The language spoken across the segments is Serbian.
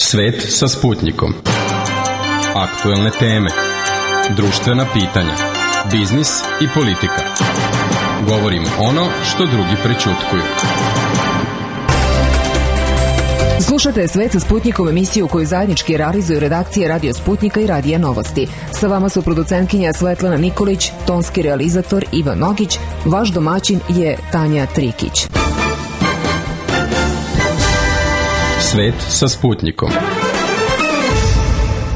Svet sa Sputnikom. Aktuelne teme, društvena pitanja, biznis i politika. Govorimo ono što drugi prećutkuju. Slušate Svet sa Sputnikom, emisiju koju zajednički realizuju redakcije Radio Sputnika i Radija Novosti. Sa vama su producentkinja Svetlana Nikolić, tonski realizator Ivan Nogić, vaš domaćin je Tanja Trikić. Svet sa Sputnikom.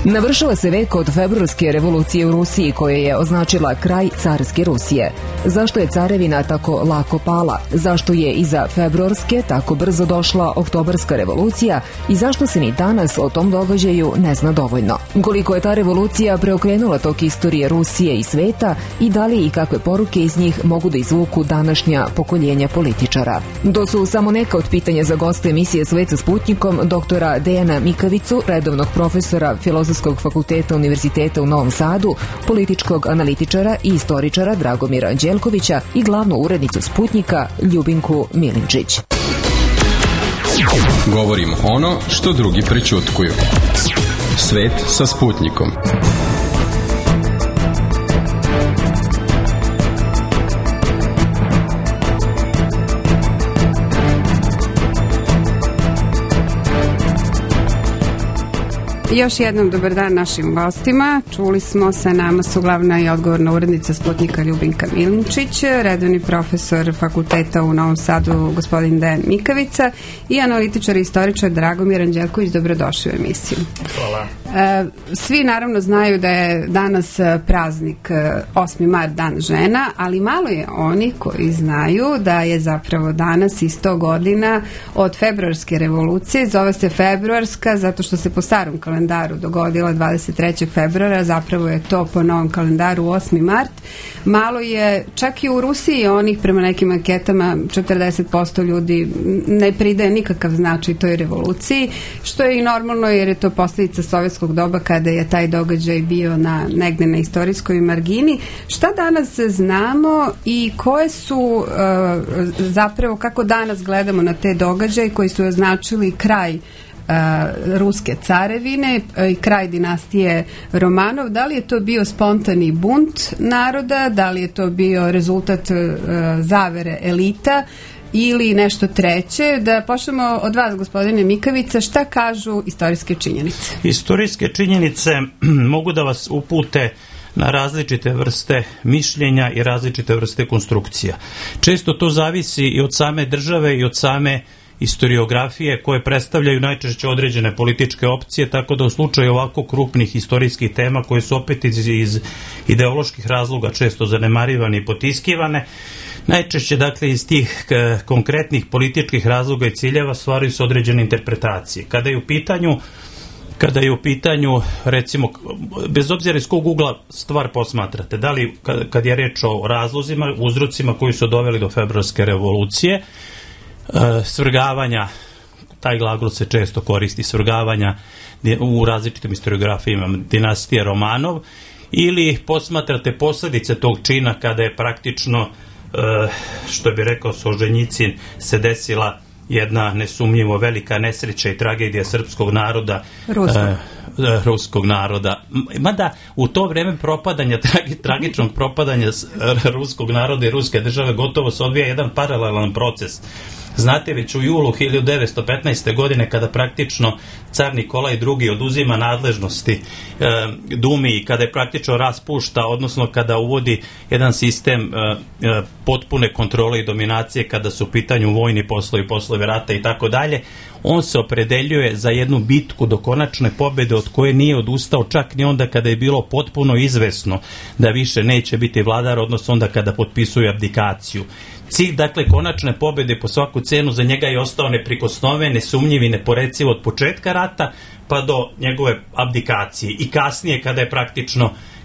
Navršava se vek od februarske revolucije u Rusiji koja je označila kraj carske Rusije. Zašto je carevina tako lako pala? Zašto je iza februarske tako brzo došla oktobarska revolucija i zašto se ni danas o tom događaju ne zna dovoljno? Koliko je ta revolucija preokrenula tok istorije Rusije i sveta i da li i kakve poruke iz njih mogu da izvuku današnja pokoljenja političara? To su samo neka od pitanja za goste emisije Svet sa Sputnikom, doktora Dejana Mikavicu, redovnog profesora Filozofskog fakulteta Univerziteta u Novom Sadu, političkog analitičara i istoričara Dragomira Anđelkovića i glavnu urednicu Sputnika Ljubinku Milinčić. Govorimo ono što drugi prećutkuju. Svet sa Sputnikom. Još jednom dobar dan našim gostima. Čuli smo, sa nama su glavna i odgovorna urednica Sputnika Ljubinka Milinčić, redovni profesor fakulteta u Novom Sadu gospodin Dejan Mikavica i analitičar i istoričar Dragomir Anđelković. Dobrodošli u emisiju. Hvala. Svi naravno znaju da je danas praznik 8. mart, dan žena, ali malo je oni koji znaju da je zapravo danas i 100 godina od februarske revolucije. Zove se februarska zato što se po starom kalendaru dogodila 23. februara, zapravo je to po novom kalendaru 8. mart. Malo je, čak i u Rusiji onih, prema nekim anketama, 40% ljudi ne pridaje nikakav značaj toj revoluciji, što je i normalno jer je to posljedica sovjetskog doba kada je taj događaj bio negde na istorijskoj margini. Šta danas znamo i koje su zapravo, kako danas gledamo na te događaje koji su označili kraj ruske carevine i kraj dinastije Romanov? Da li je to bio spontani bunt naroda, da li je to bio rezultat zavere elita ili nešto treće? Da počnemo od vas, gospodine Mikavica, šta kažu istorijske činjenice? Istorijske činjenice mogu da vas upute na različite vrste mišljenja i različite vrste konstrukcija. Često to zavisi i od same države i od same historiografije koje predstavljaju najčešće određene političke opcije, tako da u slučaju ovako krupnih istorijskih tema koje su opet iz ideoloških razloga često zanemarivane i potiskivane, najčešće dakle iz tih konkretnih političkih razloga i ciljeva stvaraju se određene interpretacije. Kada je u pitanju, recimo, bez obzira iz kog ugla stvar posmatrate, da li kad je reč o razlozima, uzrocima koji su doveli do februarske revolucije, svrgavanja, taj glagol se često koristi, svrgavanja u različitim historiografijama dinastije Romanov, ili posmatrate posljedice tog čina kada je praktično, što bi rekao Solženjicin, se desila jedna nesumnjivo velika nesreća i tragedija srpskog naroda, ruskog naroda. Mada u to vreme propadanja, tragičnog propadanja ruskog naroda i ruske države gotovo se odvija jedan paralelan proces. Znate, već u julu 1915. godine kada praktično car Nikolaj II. Oduzima nadležnosti Dumi i kada je praktično raspušta, odnosno kada uvodi jedan sistem potpune kontrole i dominacije kada su u pitanju vojni poslovi, poslovi rata i tako dalje, on se opredeljuje za jednu bitku do konačne pobjede od koje nije odustao čak ni onda kada je bilo potpuno izvesno da više neće biti vladar, odnosno onda kada potpisuje abdikaciju. Cilj, dakle, konačne pobjede po svaku cenu za njega je ostao neprikosnoven, nesumnjiv i neporeciv od početka rata pa do njegove abdikacije i kasnije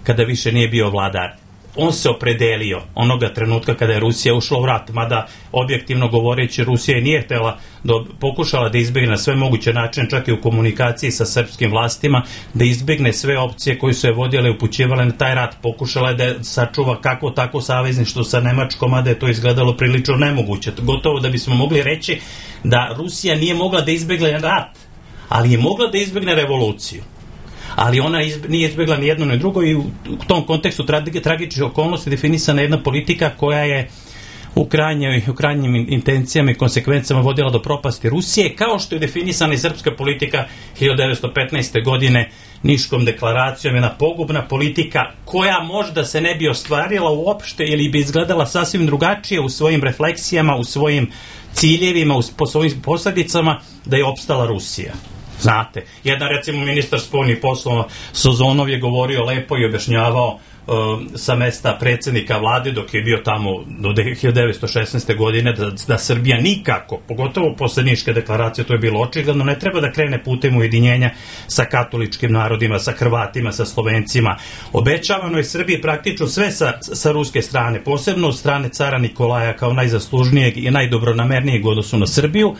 kada više nije bio vladar. On se opredelio onoga trenutka kada je Rusija ušla u rat, mada objektivno govoreći Rusija i nije pokušala da izbjegne na sve moguće načine, čak i u komunikaciji sa srpskim vlastima, da izbjegne sve opcije koje su je vodile i upućivale na taj rat. Pokušala je da sačuva kako tako savezništvo sa Nemačkom, mada je to izgledalo prilično nemoguće. Gotovo da bismo mogli reći da Rusija nije mogla da izbjegne rat, ali je mogla da izbegne revoluciju. Ali ona nije izbjegla ni jedno ni drugo i u tom kontekstu tragičnih okolnosti definisana jedna politika koja je u krajnjim intencijama i konsekvencama vodila do propasti Rusije, kao što je definisana i srpska politika 1915. godine Niškom deklaracijom, jedna pogubna politika koja možda se ne bi ostvarila uopšte ili bi izgledala sasvim drugačije u svojim refleksijama, u svojim ciljevima, po svojim posledicama da je opstala Rusija. Znate, jedan recimo ministar spoljnih poslova Sozonov je govorio lepo i objašnjavao sa mesta predsjednika vlade dok je bio tamo do 1916. godine da Srbija nikako, pogotovo posle Niške deklaracije, to je bilo očigledno, ne treba da krene putem ujedinjenja sa katoličkim narodima, sa Hrvatima, sa Slovencima. Obećavano je Srbiji praktično sve sa ruske strane, posebno od strane cara Nikolaja kao najzaslužnijeg i najdobronamernijeg u odnosu na Srbiju,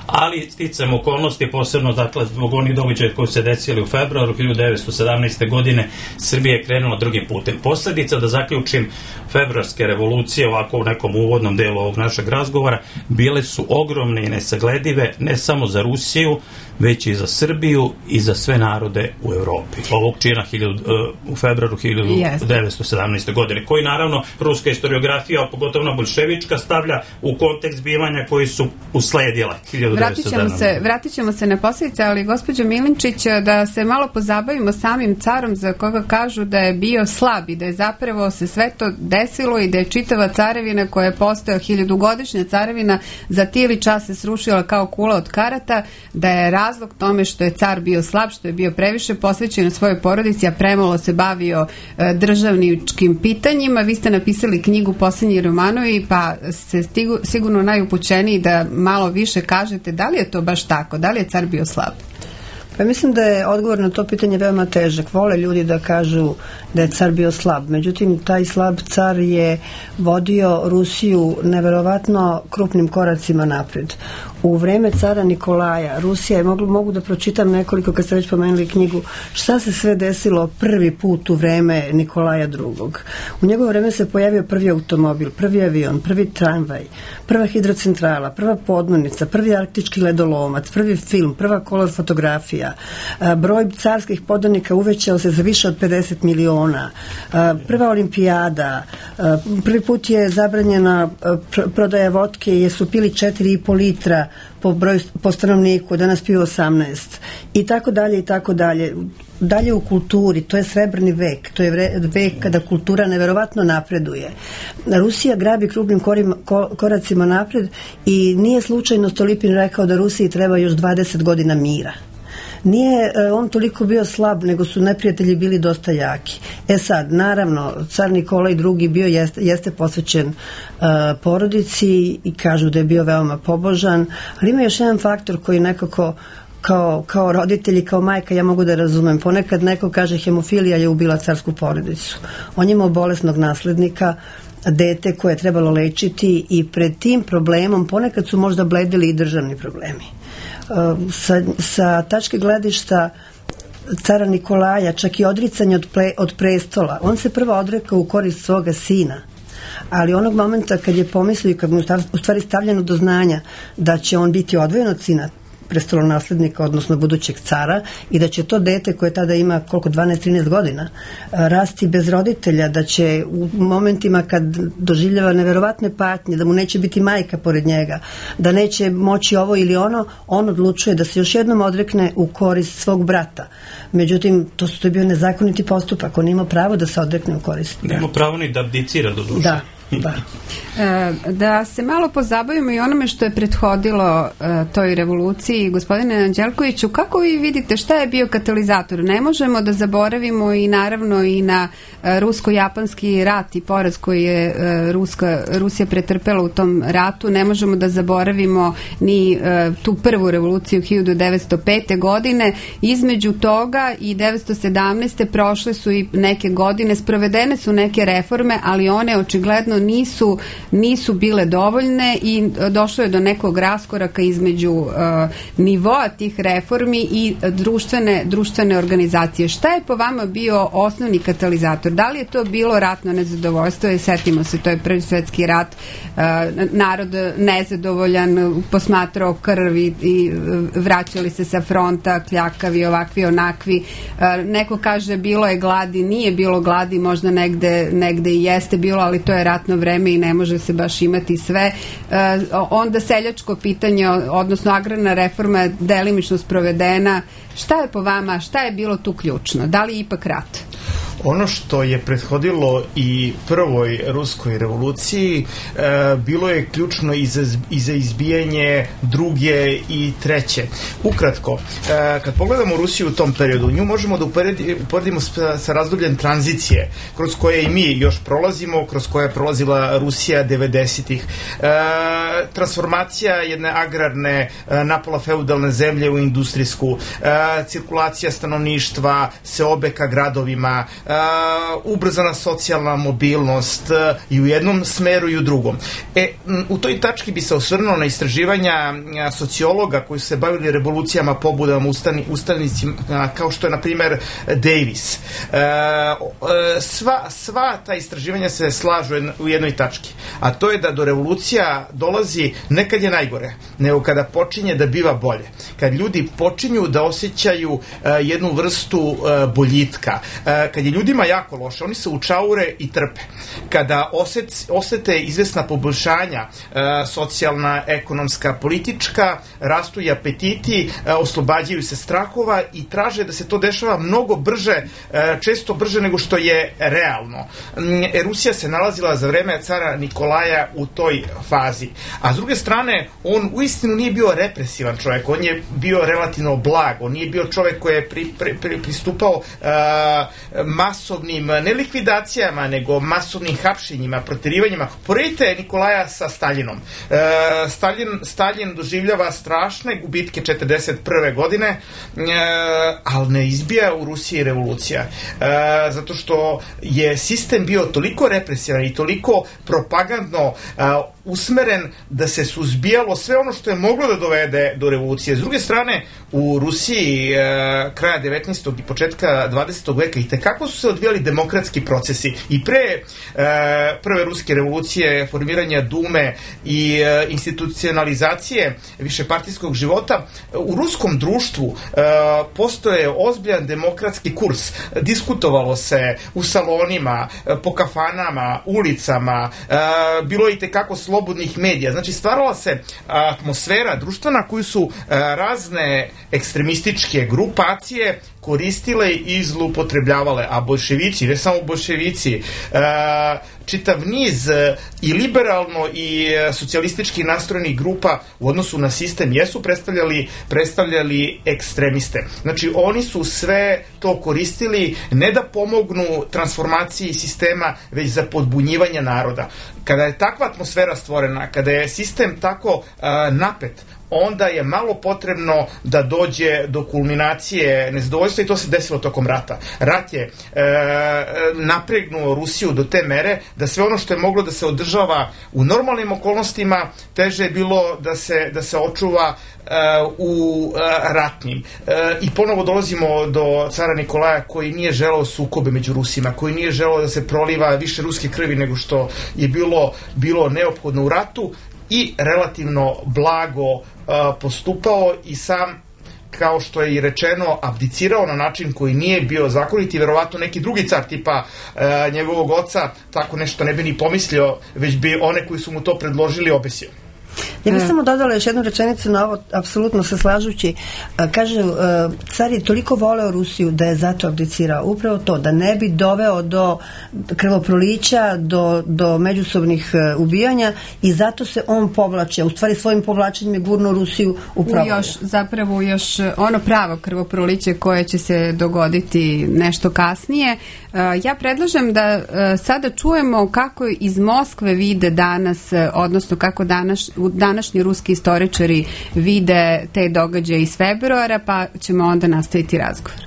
ali sticajem okolnosti, posebno dakle zbog onih događaja koji se desili u februaru 1917. godine, Srbija je krenula drugim putem. Posledica, da zaključim, februarske revolucije, ovako u nekom uvodnom delu ovog našeg razgovora, bile su ogromne i nesagledive, ne samo za Rusiju, već i za Srbiju i za sve narode u Evropi. Ovog čina u februaru 1917. godine, koji naravno ruska historiografija, pogotovo bolševička, stavlja u kontekst zbivanja koji su usledila 1917. Vratit ćemo se na posljedice, ali gospođo Milinčić, da se malo pozabavimo samim carom za koga kažu da je bio slab i da je zapravo se sve to desilo i da je čitava carevina koja je postojala, 1000-godišnja carevina, za tili čas se srušila kao kula od karata, da je razlog tome što je car bio slab, što je bio previše posvećen svojoj porodici, a premalo se bavio državničkim pitanjima. Vi ste napisali knjigu Posljednji romanovi, pa ste sigurno najupućeniji da malo više kažete da li je to baš tako, da li je car bio slab? Pa mislim da je odgovor na to pitanje veoma težak. Vole ljudi da kažu da je car bio slab. Međutim, taj slab car je vodio Rusiju neverovatno krupnim koracima napred. U vreme cara Nikolaja Rusija je, mogu da pročitam nekoliko, kad ste već pomenuli knjigu, šta se sve desilo prvi put u vreme Nikolaja II. U njegovo vreme se pojavio prvi automobil, prvi avion, prvi tramvaj, prva hidrocentrala, prva podmornica, prvi arktički ledolomac, prvi film, prva kolor fotografija. Broj carskih podanika uvećao se za više od 50 miliona. Prva olimpijada, prvi put je zabranjena prodaja vodke jer su pili 4,5 litra po stanovniku, danas piju 18 i tako dalje i tako dalje. Dalje u kulturi, to je srebrni vek, to je vek kada kultura neverovatno napreduje. Rusija grabi krupnim koracima napred i nije slučajno Stolypin rekao da Rusiji treba još 20 godina mira. Nije on toliko bio slab, nego su neprijatelji bili dosta jaki. Sad, naravno, car Nikolaj II bio jeste posvećen porodici i kažu da je bio veoma pobožan, ali ima još jedan faktor koji nekako kao roditelji, kao majka, ja mogu da razumem. Ponekad neko kaže hemofilija je ubila carsku porodicu. On je imao bolesnog naslednika, dete koje je trebalo lečiti i pred tim problemom ponekad su možda bledili i državni problemi. Sa tačke gledišta cara Nikolaja, čak i odricanje od prestola, on se prvo odrekao u korist svoga sina, ali onog momenta kad je pomislio, kad mu u stvari stavljeno do znanja da će on biti odvojen od sina prestolonaslednika, odnosno budućeg cara, i da će to dete koje tada ima 12-13 godina rasti bez roditelja, da će u momentima kad doživljava neverovatne patnje, da mu neće biti majka pored njega, da neće moći ovo ili ono, on odlučuje da se još jednom odrekne u korist svog brata. Međutim, to je bio nezakoniti postupak, on ima pravo da se odrekne u korist. Nema pravo ni da abdicira do duše. Da. Da se malo pozabavimo i onome što je prethodilo toj revoluciji. Gospodine Anđelkoviću, kako vi vidite šta je bio katalizator? Ne možemo da zaboravimo i naravno i na rusko-japanski rat i poraz koji je Rusija pretrpela u tom ratu. Ne možemo da zaboravimo ni tu prvu revoluciju 1905. godine. Između toga i 1917. prošle su i neke godine, sprovedene su neke reforme, ali one očigledno nisu bile dovoljne i došlo je do nekog raskoraka između nivoa tih reformi i društvene organizacije. Šta je po vama bio osnovni katalizator? Da li je to bilo ratno nezadovoljstvo? Setimo se, to je Prvi svetski rat, narod nezadovoljan, posmatrao krvi i vraćali se sa fronta, kljakavi, ovakvi, onakvi. Neko kaže bilo je gladi, nije bilo gladi, možda negde i jeste bilo, ali to je ratno vreme i ne može se baš imati sve. Onda seljačko pitanje, odnosno agrarna reforma je delimično sprovedena. Šta je po vama, šta je bilo tu ključno? Da li ipak rat? Ono što je prethodilo i prvoj ruskoj revoluciji bilo je ključno i za izbijanje druge i treće. Ukratko, kad pogledamo Rusiju u tom periodu, nju možemo da uporedimo sa razdobljem tranzicije, kroz koje i mi još prolazimo, kroz koje je prolazila Rusija 90-ih. Transformacija jedne agrarne, napola feudalne zemlje u industrijsku, cirkulacija stanovništva, seobe ka gradovima, ubrzana socijalna mobilnost i u jednom smeru i u drugom. U toj tački bi se osvrnuo na istraživanja sociologa koji su se bavili revolucijama, pobudama, ustanicima, kao što je, na primer, Davis. Sva ta istraživanja se slažu u jednoj tački, a to je da do revolucija dolazi ne kad je najgore, nego kada počinje da biva bolje. Kad ljudi počinju da osjećaju jednu vrstu boljitka. Kad je ljudima jako loše, oni se učaure i trpe. Kada osete izvesna poboljšanja, socijalna, ekonomska, politička, rastu i apetiti, oslobađaju se strahova i traže da se to dešava mnogo brže, često brže nego što je realno. Rusija se nalazila za vreme cara Nikolaja u toj fazi. A s druge strane, on uistinu nije bio represivan čovjek, on je bio relativno blag, on nije bio čovjek koji je pristupao masovnim, ne likvidacijama, nego masovnim hapšenjima, proterivanjima. Poredite Nikolaja sa Staljinom. Stalin doživljava strašne gubitke 1941. godine, ali ne izbija u Rusiji revolucija. Zato što je sistem bio toliko represivan i toliko propagandno usmeren da se suzbijalo sve ono što je moglo da dovede do revolucije. S druge strane, u Rusiji kraja 19. i početka 20. veka i tekako su se odvijali demokratski procesi i pre prve ruske revolucije, formiranja Dume i institucionalizacije višepartijskog života. U ruskom društvu postoje ozbiljan demokratski kurs. Diskutovalo se u salonima, po kafanama, ulicama, bilo je i tekako slobodnih medija. Znači, stvarala se atmosfera društvena koju su razne ekstremističke grupacije koristile i zloupotrebljavale, a boljševici, ne samo boljševici, čitav niz i liberalno i socijalistički nastrojenih grupa u odnosu na sistem jesu predstavljali ekstremiste. Znači, oni su sve to koristili ne da pomognu transformaciji sistema, već za podbunjivanje naroda. Kada je takva atmosfera stvorena, kada je sistem tako napet, onda je malo potrebno da dođe do kulminacije nezadovoljstva i to se desilo tokom rata. Rat je napregnuo Rusiju do te mere da sve ono što je moglo da se održava u normalnim okolnostima, teže je bilo da se očuva u ratnim. I ponovo dolazimo do cara Nikolaja koji nije želeo sukobe među Rusima, koji nije želeo da se proliva više ruske krvi nego što je bilo neophodno u ratu i relativno blago postupao i sam, kao što je i rečeno, abdicirao na način koji nije bio zakonit i verovatno neki drugi car tipa njegovog oca tako nešto ne bi ni pomislio, već bi one koji su mu to predložili obesio. Ja bih samo dodala još jednu rečenicu na ovo, apsolutno se slažući. Kaže, car je toliko voleo Rusiju da je zato abdicirao. Upravo to, da ne bi doveo do krvoprolića, do međusobnih ubijanja i zato se on povlače. U stvari svojim povlačenjem je gurno Rusiju upravo. Zapravo još ono pravo krvoproliće koje će se dogoditi nešto kasnije. Ja predlažem da sada čujemo kako iz Moskve vide danas, odnosno kako današnji ruski istoričari vide te događaje iz februara, pa ćemo onda nastaviti razgovor.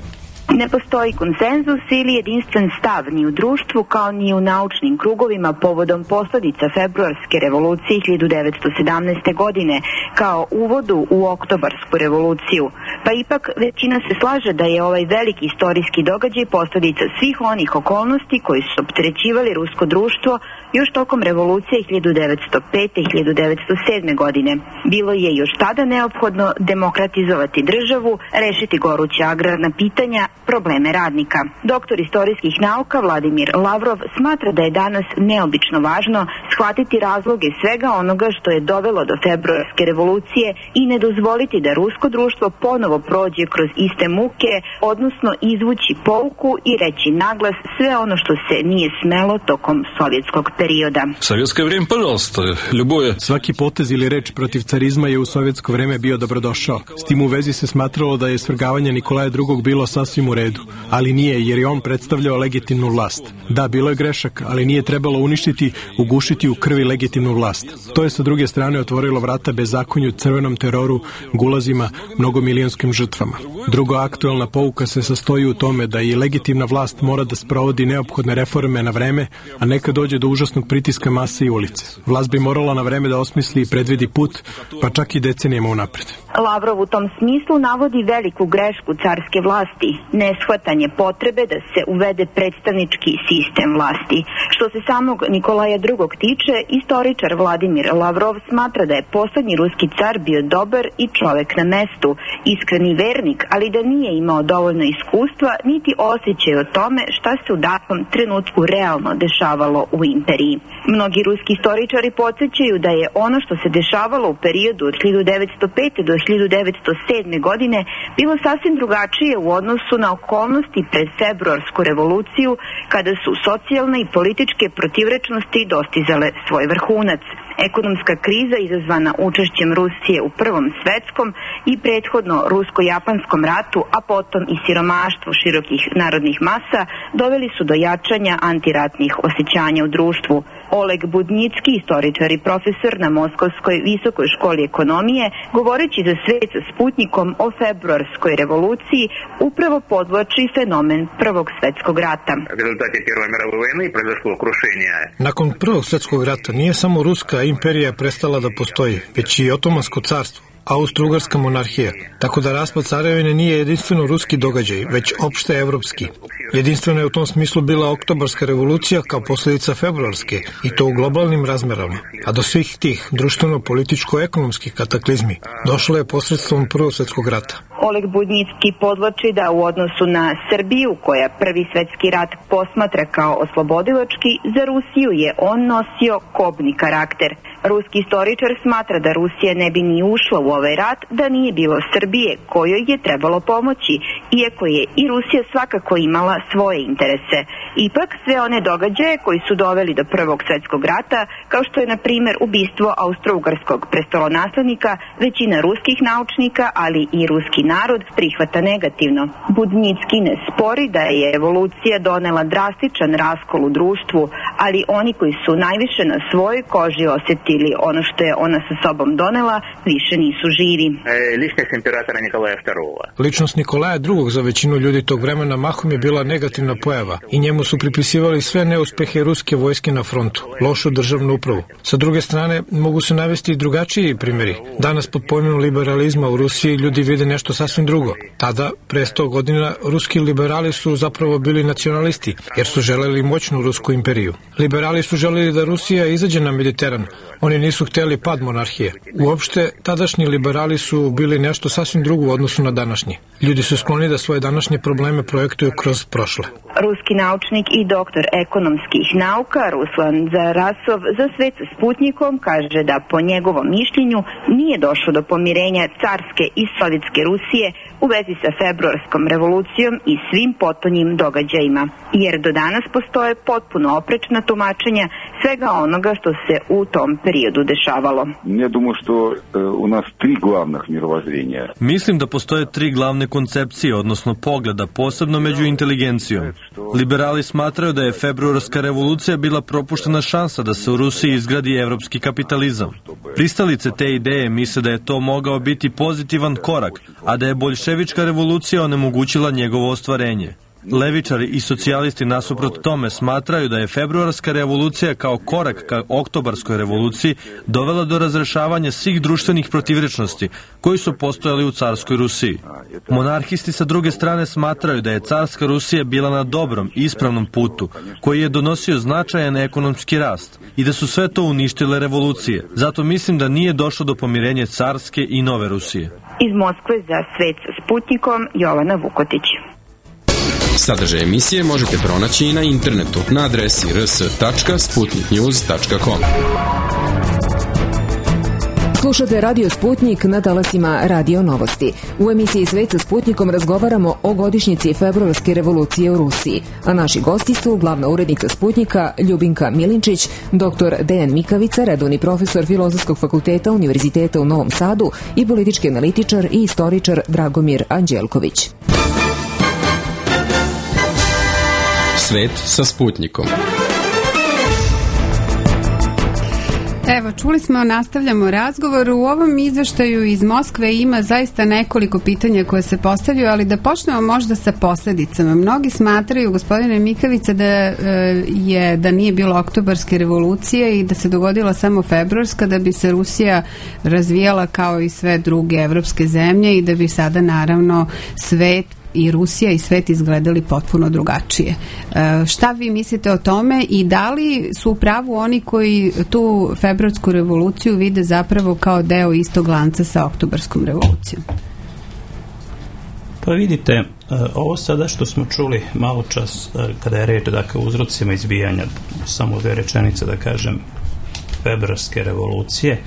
Ne postoji konsenzus ili jedinstven stav ni u društvu kao ni u naučnim krugovima povodom posljedica februarske revolucije 1917. godine kao uvodu u oktobarsku revoluciju. Pa ipak većina se slaže da je ovaj veliki istorijski događaj posljedica svih onih okolnosti koji su opterećivali rusko društvo još tokom revolucije 1905. i 1907. godine. Bilo je još tada neophodno demokratizovati državu, rešiti goruća agrarna pitanja, probleme radnika. Doktor istorijskih nauka Vladimir Lavrov smatra da je danas neobično važno shvatiti razloge svega onoga što je dovelo do februarske revolucije i ne dozvoliti da rusko društvo ponovo prođe kroz iste muke, odnosno izvući pouku i reći naglas sve ono što se nije smelo tokom sovjetskog perioda. Sovjetsko vrijeme, пожалуйста, любое. Svaki potez ili reč protiv carizma je u sovjetsko vreme bio dobrodošao. S tim u vezi se smatralo da je svrgavanje Nikolaja II. Bilo sasvim u redu, ali nije, jer je on predstavljao legitimnu vlast. Da, bilo je grešak, ali nije trebalo uništiti, ugušiti u krvi legitimnu vlast. To je sa druge strane otvorilo vrata bezakonju, crvenom teroru, gulazima, mnogomilijonskim žrtvama. Druga aktuelna pouka se sastoji u tome da i legitimna vlast mora da sprovodi neophodne reforme na vreme, a neka dođe do užasnog pritiska mase i ulice. Vlast bi morala na vreme da osmisli i predvidi put, pa čak i decenijama unapred. Lavrov u tom smislu navodi veliku grešku carske vlasti, neshvatanje potrebe da se uvede predstavnički sistem vlasti. Što se samog Nikolaja II. Tiče, istoričar Vladimir Lavrov smatra da je poslednji ruski car bio dobar i čovek na mestu, iskreni vernik, ali da nije imao dovoljno iskustva niti osjećaj o tome šta se u datom trenutku realno dešavalo u imperiji. Mnogi ruski istoričari podsjećaju da je ono što se dešavalo u periodu od 1905. do 1907. godine bilo sasvim drugačije u odnosu na okolnosti pred februarsku revoluciju, kada su socijalne i političke protivrečnosti dostizale svoj vrhunac. Ekonomska kriza izazvana učešćem Rusije u Prvom svetskom i prethodno rusko-japanskom ratu, a potom i siromaštvo širokih narodnih masa doveli su do jačanja antiratnih osjećanja u društvu. Oleg Budnicki, istoričar i profesor na Moskovskoj visokoj školi ekonomije, govoreći za svet sa Sputnikom o februarskoj revoluciji, upravo podvlači fenomen Prvog svetskog rata. Nakon Prvog svetskog rata nije samo Ruska imperija prestala da postoji, već i Otomansko carstvo, Austro-Ugarska monarhija, tako da raspad carevine nije jedinstveno ruski događaj, već opšte evropski. Jedinstvena je u tom smislu bila oktobarska revolucija kao posljedica februarske, i to u globalnim razmerama. A do svih tih društveno-političko-ekonomskih kataklizmi došlo je posredstvom Prvog svetskog rata. Oleg Budnicki podvlači da u odnosu na Srbiju, koja Prvi svetski rat posmatra kao oslobodilački, za Rusiju je on nosio kobni karakter. Ruski istoričar smatra da Rusija ne bi ni ušla u ovaj rat da nije bilo Srbije, kojoj je trebalo pomoći, iako je i Rusija svakako imala svoje interese. Ipak sve one događaje koji su doveli do Prvog svetskog rata, kao što je na primjer ubistvo austro-ugarskog prestolonaslednika, većina ruskih naučnika, ali i ruski narod prihvata negativno. Budnicki ne spori da je revolucija donela drastičan raskol u društvu, ali oni koji su najviše na svojoj koži osjetili ono što je ona sa sobom donela, više nisu živi. Ličnost Nikolaja II. Za većinu ljudi tog vremena mahom je bila negativna pojava i njemu su pripisivali sve neuspehe ruske vojske na frontu, lošu državnu upravu. Sa druge strane, mogu se navesti i drugačiji primjeri. Danas pod pojmom liberalizma u Rusiji ljudi vide nešto sasvim drugo. Tada, pre 100 godina, ruski liberali su zapravo bili nacionalisti, jer su želeli moćnu rusku imperiju. Liberali su želeli da Rusija izađe na Mediteran. Oni nisu hteli pad monarhije. Uopšte, tadašnji liberali su bili nešto sasvim drugo u odnosu na današnji. Ljudi su skloni da svoje današnje probleme projektuju kroz prošle. Ruski naučnik i doktor ekonomskih nauka Ruslan Zarasov za Svet sa Sputnikom kaže da po njegovom mišljenju nije došlo do pomirenja carske i sovjetske Rusije u vezi sa februarskom revolucijom i svim potonjim događajima, jer do danas postoje potpuno oprečna tumačenja svega onoga što se u tom periodu dešavalo. Ja думаю, što u nas 3 glavnih mirovozrenja. Mislim da postoje 3 glavne koncepcije, odnosno pogleda, posebno među inteligencijom. Liberali smatraju da je februarska revolucija bila propuštena šansa da se u Rusiji izgradi evropski kapitalizam. Pristalice te ideje misle da je to mogao biti pozitivan korak, a da je boljševička revolucija onemogućila njegovo ostvarenje. Levičari i socijalisti nasuprot tome smatraju da je februarska revolucija kao korak ka oktobarskoj revoluciji dovela do razrešavanja svih društvenih protivrečnosti koji su postojali u carskoj Rusiji. Monarhisti sa druge strane smatraju da je carska Rusija bila na dobrom i ispravnom putu koji je donosio značajan ekonomski rast i da su sve to uništile revolucije. Zato mislim da nije došlo do pomirenja carske i nove Rusije. Iz Moskve za Svet sa Sputnikom, Jovana Vukotić. Sadržaj emisije možete pronaći i na internetu na adresi rs.sputniknews.com. Slušate Radio Sputnik na talasima Radio Novosti. U emisiji Svet sa Sputnikom razgovaramo o godišnjici februarske revolucije u Rusiji, a naši gosti su glavna urednica Sputnika Ljubinka Milinčić, dr. Dejan Mikavica, redovni profesor Filozofskog fakulteta Univerziteta u Novom Sadu i politički analitičar i istoričar Dragomir Anđelković. Svet sa Sputnikom. Evo, čuli smo, nastavljamo razgovor. U ovom izveštaju iz Moskve ima zaista nekoliko pitanja koje se postavljaju, ali da počnemo možda sa posledicama. Mnogi smatraju, gospodine Mikavica, da nije bilo oktobarske revolucije i da se dogodila samo februarska, da bi se Rusija razvijala kao i sve druge evropske zemlje i da bi sada naravno svet i Rusija i svet izgledali potpuno drugačije. Šta vi mislite o tome i da li su u pravu oni koji tu februarsku revoluciju vide zapravo kao deo istog lanca sa oktobarskom revolucijom? Pa vidite, ovo sada što smo čuli malo čas kada je reč, dakle, uzrocima izbijanja, samo 2 rečenice da kažem, februarske revolucije,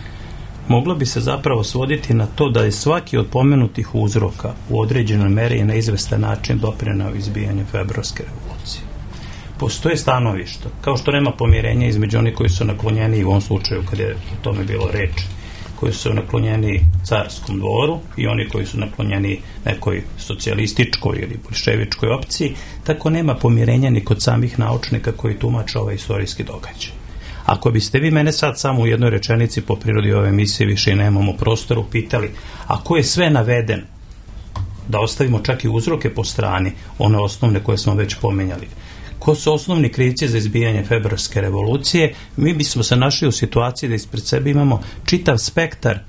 moglo bi se zapravo svoditi na to da je svaki od pomenutih uzroka u određenoj meri i na izvestan način doprineo izbijanju februarske revolucije. Postoje stanovišta, kao što nema pomirenja između onih koji su naklonjeni, u ovom slučaju kad je o tome bilo reč, koji su naklonjeni carskom dvoru i oni koji su naklonjeni nekoj socijalističkoj ili boljševičkoj opciji, tako nema pomirenja ni kod samih naučnika koji tumače ovaj istorijski događaj. Ako biste vi mene sad samo u jednoj rečenici po prirodi ove emisije, više i nemamo prostoru, pitali, a ko je sve naveden, da ostavimo čak i uzroke po strani, one osnovne koje smo već pomenjali, ko su osnovni krivci za izbijanje februarske revolucije, mi bismo se našli u situaciji da ispred sebe imamo čitav spektar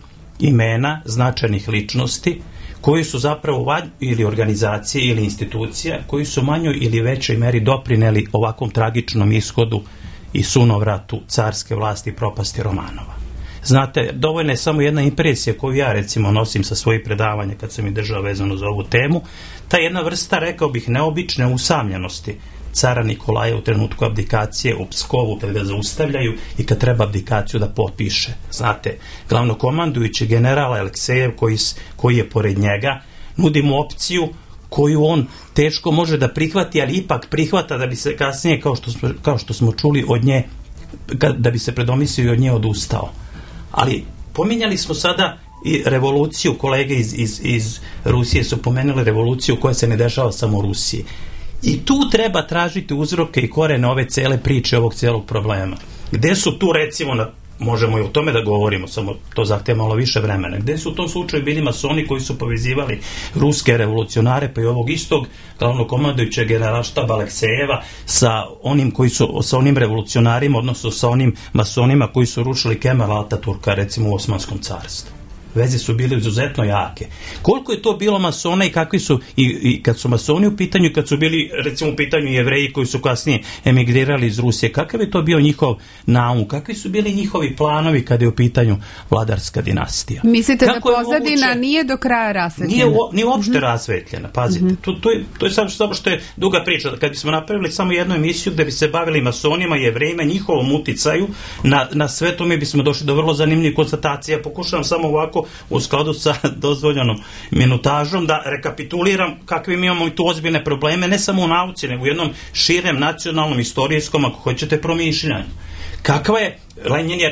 imena značajnih ličnosti koji su zapravo ili organizacije ili institucija koji su manjoj ili većoj meri doprineli ovakvom tragičnom ishodu i sunovratu carske vlasti i propasti Romanova. Znate, dovoljna je samo jedna impresija koju ja recimo nosim sa svojih predavanja kad sam i držao vezano za ovu temu, ta jedna vrsta, rekao bih, neobične usamljenosti cara Nikolaja u trenutku abdikacije u Pskovu kad ga zaustavljaju i kad treba abdikaciju da potpiše. Znate, glavnokomandujući general Aleksejev koji je pored njega, nudi mu opciju koju on teško može da prihvati, ali ipak prihvata da bi se kasnije, kao što smo čuli od nje, da bi se predomislio i od nje odustao. Ali pominjali smo sada i revoluciju, kolege iz Rusije su pomenuli revoluciju koja se ne dešava samo u Rusiji. I tu treba tražiti uzroke i korene ove cele priče, ovog celog problema. Gde su tu, recimo, možemo i o tome da govorimo, samo to zahteva malo više vremena. Gde su u tom slučaju bili masoni koji su povezivali ruske revolucionare, pa i ovog istog glavnokomandujućeg generalštaba Aleksejeva sa onim revolucionarima, odnosno sa onim masonima koji su rušili Kemala Ataturka, recimo u Osmanskom carstvu. Veze su bile izuzetno jake. Koliko je to bilo masona i kakvi su, i kad su masoni u pitanju, i kad su bili, recimo, u pitanju Jevreji koji su kasnije emigrirali iz Rusije, kakav je to bio njihov naum, kakvi su bili njihovi planovi kada je u pitanju vladarska dinastija? Mislite da pozadina nije do kraja rasvetljena? Nije uopšte rasvetljena, pazite. To je samo što je duga priča. Kad bismo napravili samo jednu emisiju gde bi se bavili masonima i Jevrejima, njihovom uticaju na sve to, mi bismo došli do vrlo zanimljivih konstatacija. Pokušavam samo ovako u skladu sa dozvoljenom minutažom da rekapituliram kakve mi imamo i tu ozbiljne probleme, ne samo u nauci, nego u jednom širem nacionalnom, istorijskom, ako hoćete, promišljanju. Kakva je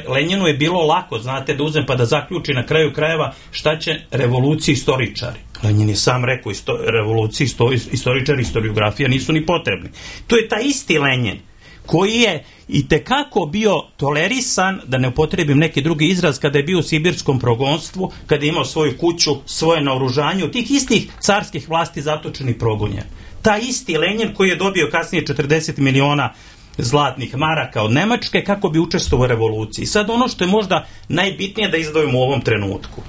Lenjinu je bilo lako, znate, da uzem pa da zaključi na kraju krajeva šta će revoluciji istoričari. Lenjin je sam rekao, revoluciji istoričari, historiografija nisu ni potrebni. To je taj isti Lenjin koji je i tekako bio tolerisan, da ne upotrebim neki drugi izraz, kada je bio u sibirskom progonstvu, kada je imao svoju kuću, svoje naoružanje, od tih istih carskih vlasti zatočeni i progonjen. Taj isti Lenin koji je dobio kasnije 40 miliona zlatnih maraka od Nemačke kako bi učestvovao u revoluciji. Sad ono što je možda najbitnije da izdvojimo u ovom trenutku.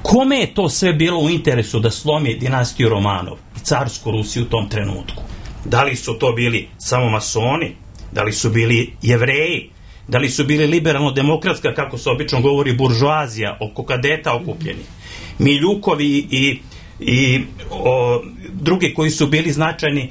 Kome je to sve bilo u interesu da slomi dinastiju Romanov i carsku Rusiju u tom trenutku? Da li su to bili samo masoni? Da li su bili Jevreji? Da li su bili liberalno-demokratska, kako se obično govori, buržoazija, oko kadeta okupljenih? Miljukovi i drugi koji su bili značajni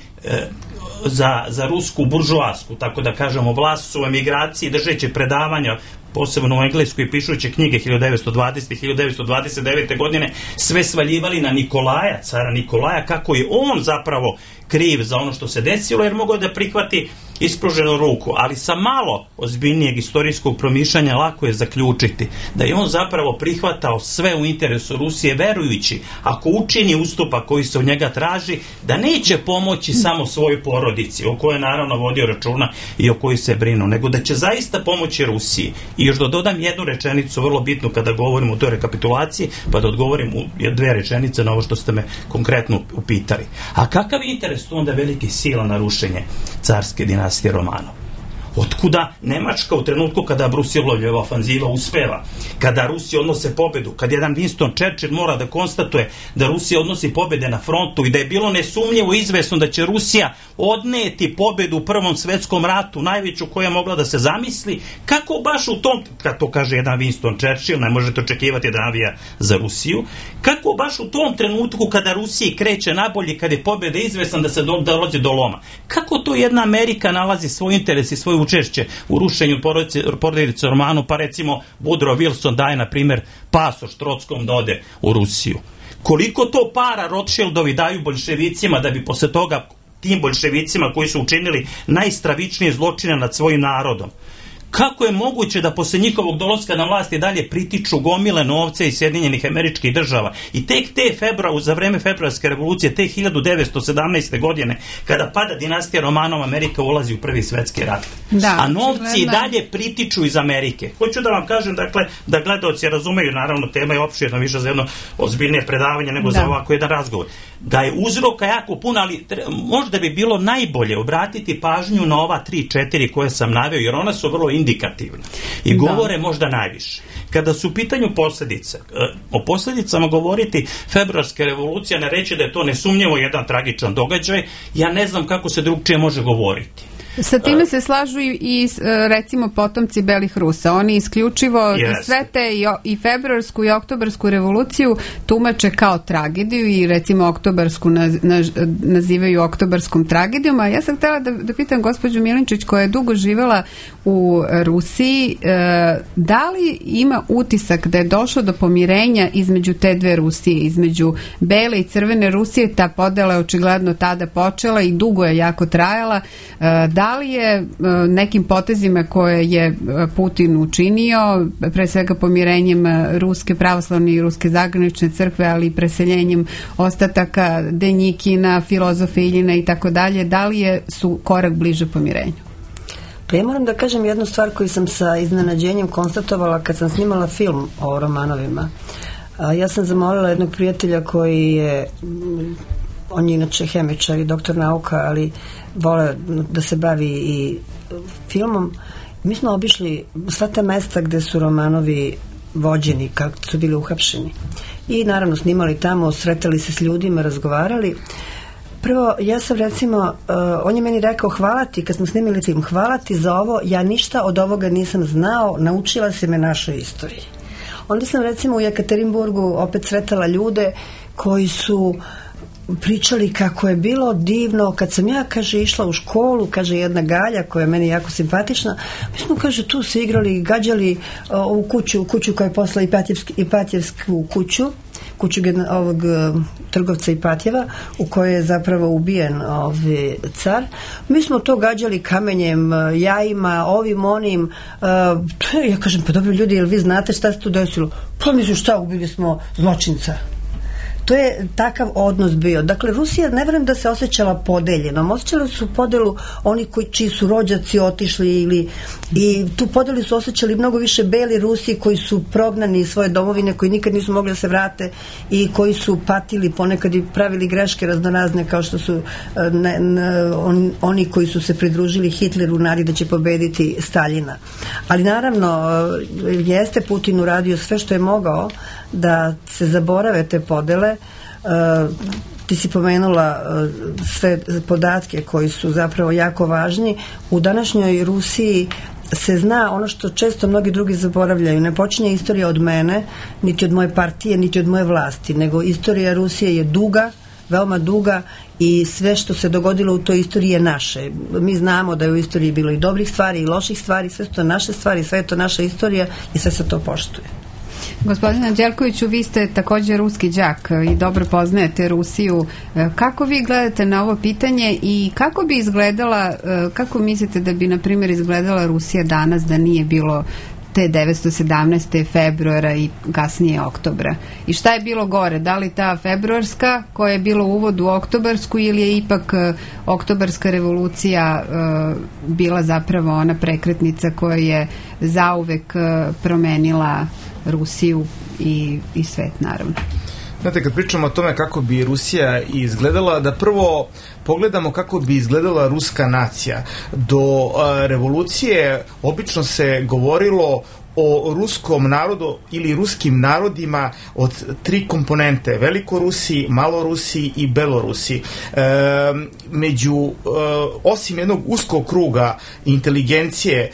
za rusku buržoasku, tako da kažemo, vlast su u emigraciji, držeći predavanja, posebno u Engleskoj, pišući knjige 1920. i 1929. godine, sve svaljivali na Nikolaja, cara Nikolaja, kako je on zapravo kriv za ono što se desilo, jer mogao da prihvati ispruženu ruku, ali sa malo ozbiljnijeg istorijskog promišljanja lako je zaključiti da je on zapravo prihvatao sve u interesu Rusije, verujući ako učini ustupak koji se od njega traži, da neće pomoći samo svojoj porodici, o kojoj je naravno vodio računa i o kojoj se brinu, nego da će zaista pomoći Rusiji. I još da dodam jednu rečenicu vrlo bitnu kada govorimo o toj rekapitulaciji, pa da odgovorim u 2 rečenice na ovo što ste me konkretno upitali. A kakav interes tu onda velikih sila na rušenje carske dinastije Romanov? Otkuda Nemačka u trenutku kada Brusilovljeva ofanziva uspeva, kada Rusi odnose pobedu, kad jedan Winston Churchill mora da konstatuje da Rusija odnosi pobede na frontu i da je bilo nesumnjivo izvesno da će Rusija odneti pobedu u Prvom svetskom ratu, najveću koja je mogla da se zamisli, kako baš u tom, kad to kaže jedan Winston Churchill, ne možete očekivati da navija za Rusiju, kako baš u tom trenutku kada Rusiji kreće nabolje, kada je pobeda izvesna da se dolazi do loma, kako to jedna Amerika nalazi svoj interes i svoj učešće u rušenju porodice Romanov, pa recimo Woodrow Wilson daje na primjer pasoš Trotskom da ode u Rusiju. Koliko to para Rothschildovi daju boljševicima da bi posle toga tim boljševicima koji su učinili najstravičnije zločine nad svojim narodom, kako je moguće da posle njihovog dolaska na vlast i dalje pritiču gomile novce iz Sjedinjenih Američkih Država i tek za vreme februarske revolucije, te 1917. godine, kada pada dinastija Romanov, Amerika ulazi u Prvi svetski rat. A novci i dalje pritiču iz Amerike. Hoću da vam kažem, dakle, da gledaoci razumeju, naravno tema je opširna, više za jedno ozbiljnije predavanje nego za ovako jedan razgovor. Da je uzroka jako puno, ali možda bi bilo najbolje obratiti pažnju na ova 3-4 koje sam naveo, jer ona su vrlo indikativna i govore možda najviše. Kada su u pitanju posljedice, o posljedicama govoriti februarske revolucije, ne reći da je to nesumnjivo jedan tragičan događaj, ja ne znam kako se drugčije može govoriti. Sa time se slažu i recimo potomci belih Rusa. Oni isključivo sve te i februarsku i oktobarsku revoluciju tumače kao tragediju i recimo oktobarsku nazivaju oktobarskom tragedijom. A ja sam htjela da pitam gospođu Milinčić, koja je dugo živjela u Rusiji, da li ima utisak da je došlo do pomirenja između te dve Rusije, između bele i crvene Rusije? Ta podela je očigledno tada počela i dugo je jako trajala. Da li je nekim potezima koje je Putin učinio, pre svega pomirenjem Ruske pravoslavne i Ruske zagranične crkve, ali i preseljenjem ostataka Denjikina, filozofa Iljina i tako dalje, da li su korak bliže pomirenju? Pa ja moram da kažem jednu stvar koju sam sa iznenađenjem konstatovala kad sam snimala film o Romanovima. Ja sam zamolila jednog prijatelja koji je, on je inače hemičar i doktor nauka, ali vole da se bavi i filmom. Mi smo obišli sva ta mesta gde su Romanovi vođeni, kako su bili uhapšeni. I naravno snimali tamo, sretali se s ljudima, razgovarali. Prvo, ja sam recimo, on je meni rekao hvala ti, kad smo snimili film, hvala ti za ovo, ja ništa od ovoga nisam znao, naučila si me našoj istoriji. Onda sam recimo u Jekaterinburgu opet sretala ljude koji su pričali kako je bilo divno kad sam ja, kaže, išla u školu, kaže jedna Galja koja je meni jako simpatična, mi smo, kaže, tu se igrali, gađali ovu kuću koja je posla Ipatjevsku kuću ovog trgovca Ipatjeva, u kojoj je zapravo ubijen car. Mi smo to gađali kamenjem, jajima, ovim, onim. Ja kažem, pa dobro ljudi, jel vi znate šta se tu desilo? Pa mislim, šta, ubili smo zločinca. to je takav odnos bio. Dakle, Rusija, ne verujem da se osjećala podeljenom. Osjećali su podelu oni čiji su rođaci otišli i tu podelu su osjećali mnogo više beli Rusi koji su prognani iz svoje domovine, koji nikad nisu mogli da se vrate i koji su patili ponekad i pravili greške raznorazne, kao što su oni koji su se pridružili Hitleru u nadi da će pobediti Staljina. Ali naravno jeste Putin uradio sve što je mogao da se zaborave te podele. Ti si pomenula sve podatke koji su zapravo jako važni. U današnjoj Rusiji se zna ono što često mnogi drugi zaboravljaju. Ne počinje istorija od mene, niti od moje partije, niti od moje vlasti, nego istorija Rusije je duga, veoma duga, i sve što se dogodilo u toj istoriji je naše. Mi znamo da je u istoriji bilo i dobrih stvari i loših stvari, sve su to naše stvari, sve je to naša istorija i sve se to poštuje. Gospodine Anđelkoviću, vi ste također ruski đak i dobro poznajete Rusiju. Kako vi gledate na ovo pitanje i kako bi izgledala, kako mislite da bi, na primjer, izgledala Rusija danas da nije bilo te 917. februara i kasnije oktobra? I šta je bilo gore? Da li ta februarska koja je bila uvod u oktobarsku ili je ipak oktobarska revolucija bila zapravo ona prekretnica koja je zauvek promenila Rusiju i svet, naravno? Znate, kad pričamo o tome kako bi Rusija izgledala, da prvo pogledamo kako bi izgledala ruska nacija. Do revolucije obično se govorilo o ruskom narodu ili ruskim narodima od 3 komponente: Velikorusiji, Malorusiji i Belorusiji. Osim jednog uskog kruga inteligencije,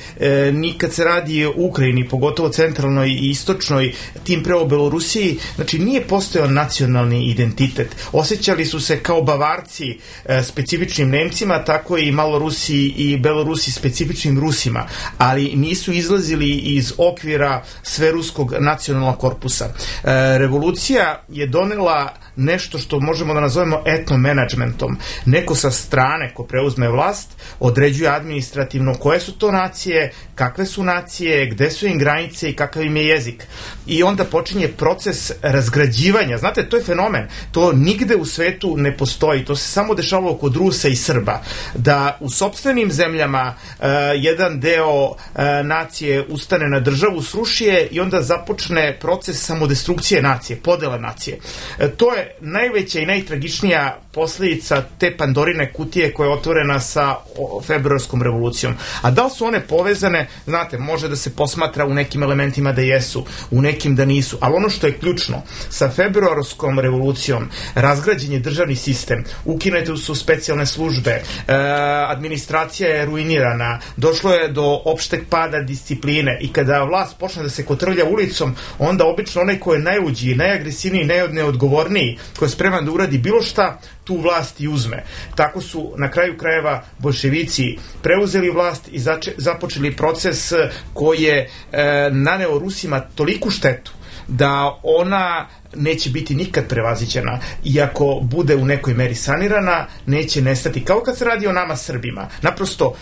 nikad se radi o Ukrajini, pogotovo centralnoj i istočnoj, tim pre o Belorusiji, znači nije postojao nacionalni identitet. Osjećali su se kao Bavarci specifičnim Nemcima, tako i Malorusiji i Belorusi specifičnim Rusima, ali nisu izlazili iz okvira sveruskog nacionalnog korpusa. Revolucija je donela nešto što možemo da nazovemo etnomenadžmentom. Neko sa strane ko preuzme vlast određuje administrativno koje su to nacije, kakve su nacije, gde su im granice i kakav im je jezik. I onda počinje proces razgrađivanja. Znate, to je fenomen. To nigde u svetu ne postoji. To se samo dešavalo kod Rusa i Srba. Da u sopstvenim zemljama jedan deo nacije ustane na državu, sruši je i onda započne proces samodestrukcije nacije, podela nacije. To je najveća i najtragičnija posljedica te Pandorine kutije koja je otvorena sa februarskom revolucijom. A da li su one povezane? Znate, može da se posmatra u nekim elementima da jesu, u nekim da nisu, ali ono što je ključno, sa februarskom revolucijom razgrađen je državni sistem, ukinute su specijalne službe, administracija je ruinirana, došlo je do opšteg pada discipline i kada vlast počne da se kotrlja ulicom, onda obično onaj ko je najluđiji, najagresivniji, najneodgovorniji, ko je spreman da uradi bilo šta, tu vlast i uzme. Tako su na kraju krajeva boljševici preuzeli vlast i započeli proces koji je naneo Rusima toliku štetu da ona neće biti nikad prevaziđena i ako bude u nekoj meri sanirana, neće nestati. Kao kad se radi o nama Srbima. Naprosto,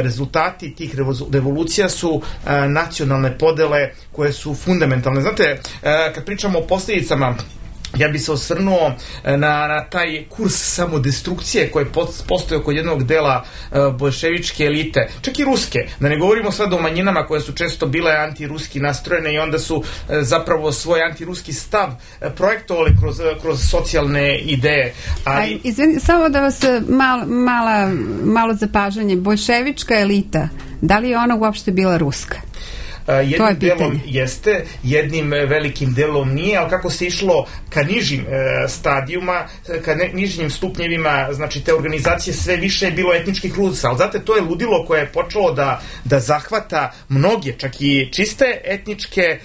rezultati tih revolucija su nacionalne podele koje su fundamentalne. Znate, kad pričamo o posljedicama, ja bi se osvrnuo na taj kurs samodestrukcije koji postoji kod jednog dela boljševičke elite, čak i ruske, da ne govorimo sad o manjinama koje su često bile antiruski nastrojene i onda su zapravo svoj antiruski stav projektovali kroz socijalne ideje. Izvini, samo da vas malo zapažanje, boljševička elita, da li je ona uopšte bila ruska? Jednim delom jeste, jednim velikim delom nije, ali kako se išlo ka nižim stadijuma, ka nižim stupnjevima, znači te organizacije, sve više je bilo etničkih Rusa, ali znate, to je ludilo koje je počelo da zahvata mnoge, čak i čiste etničke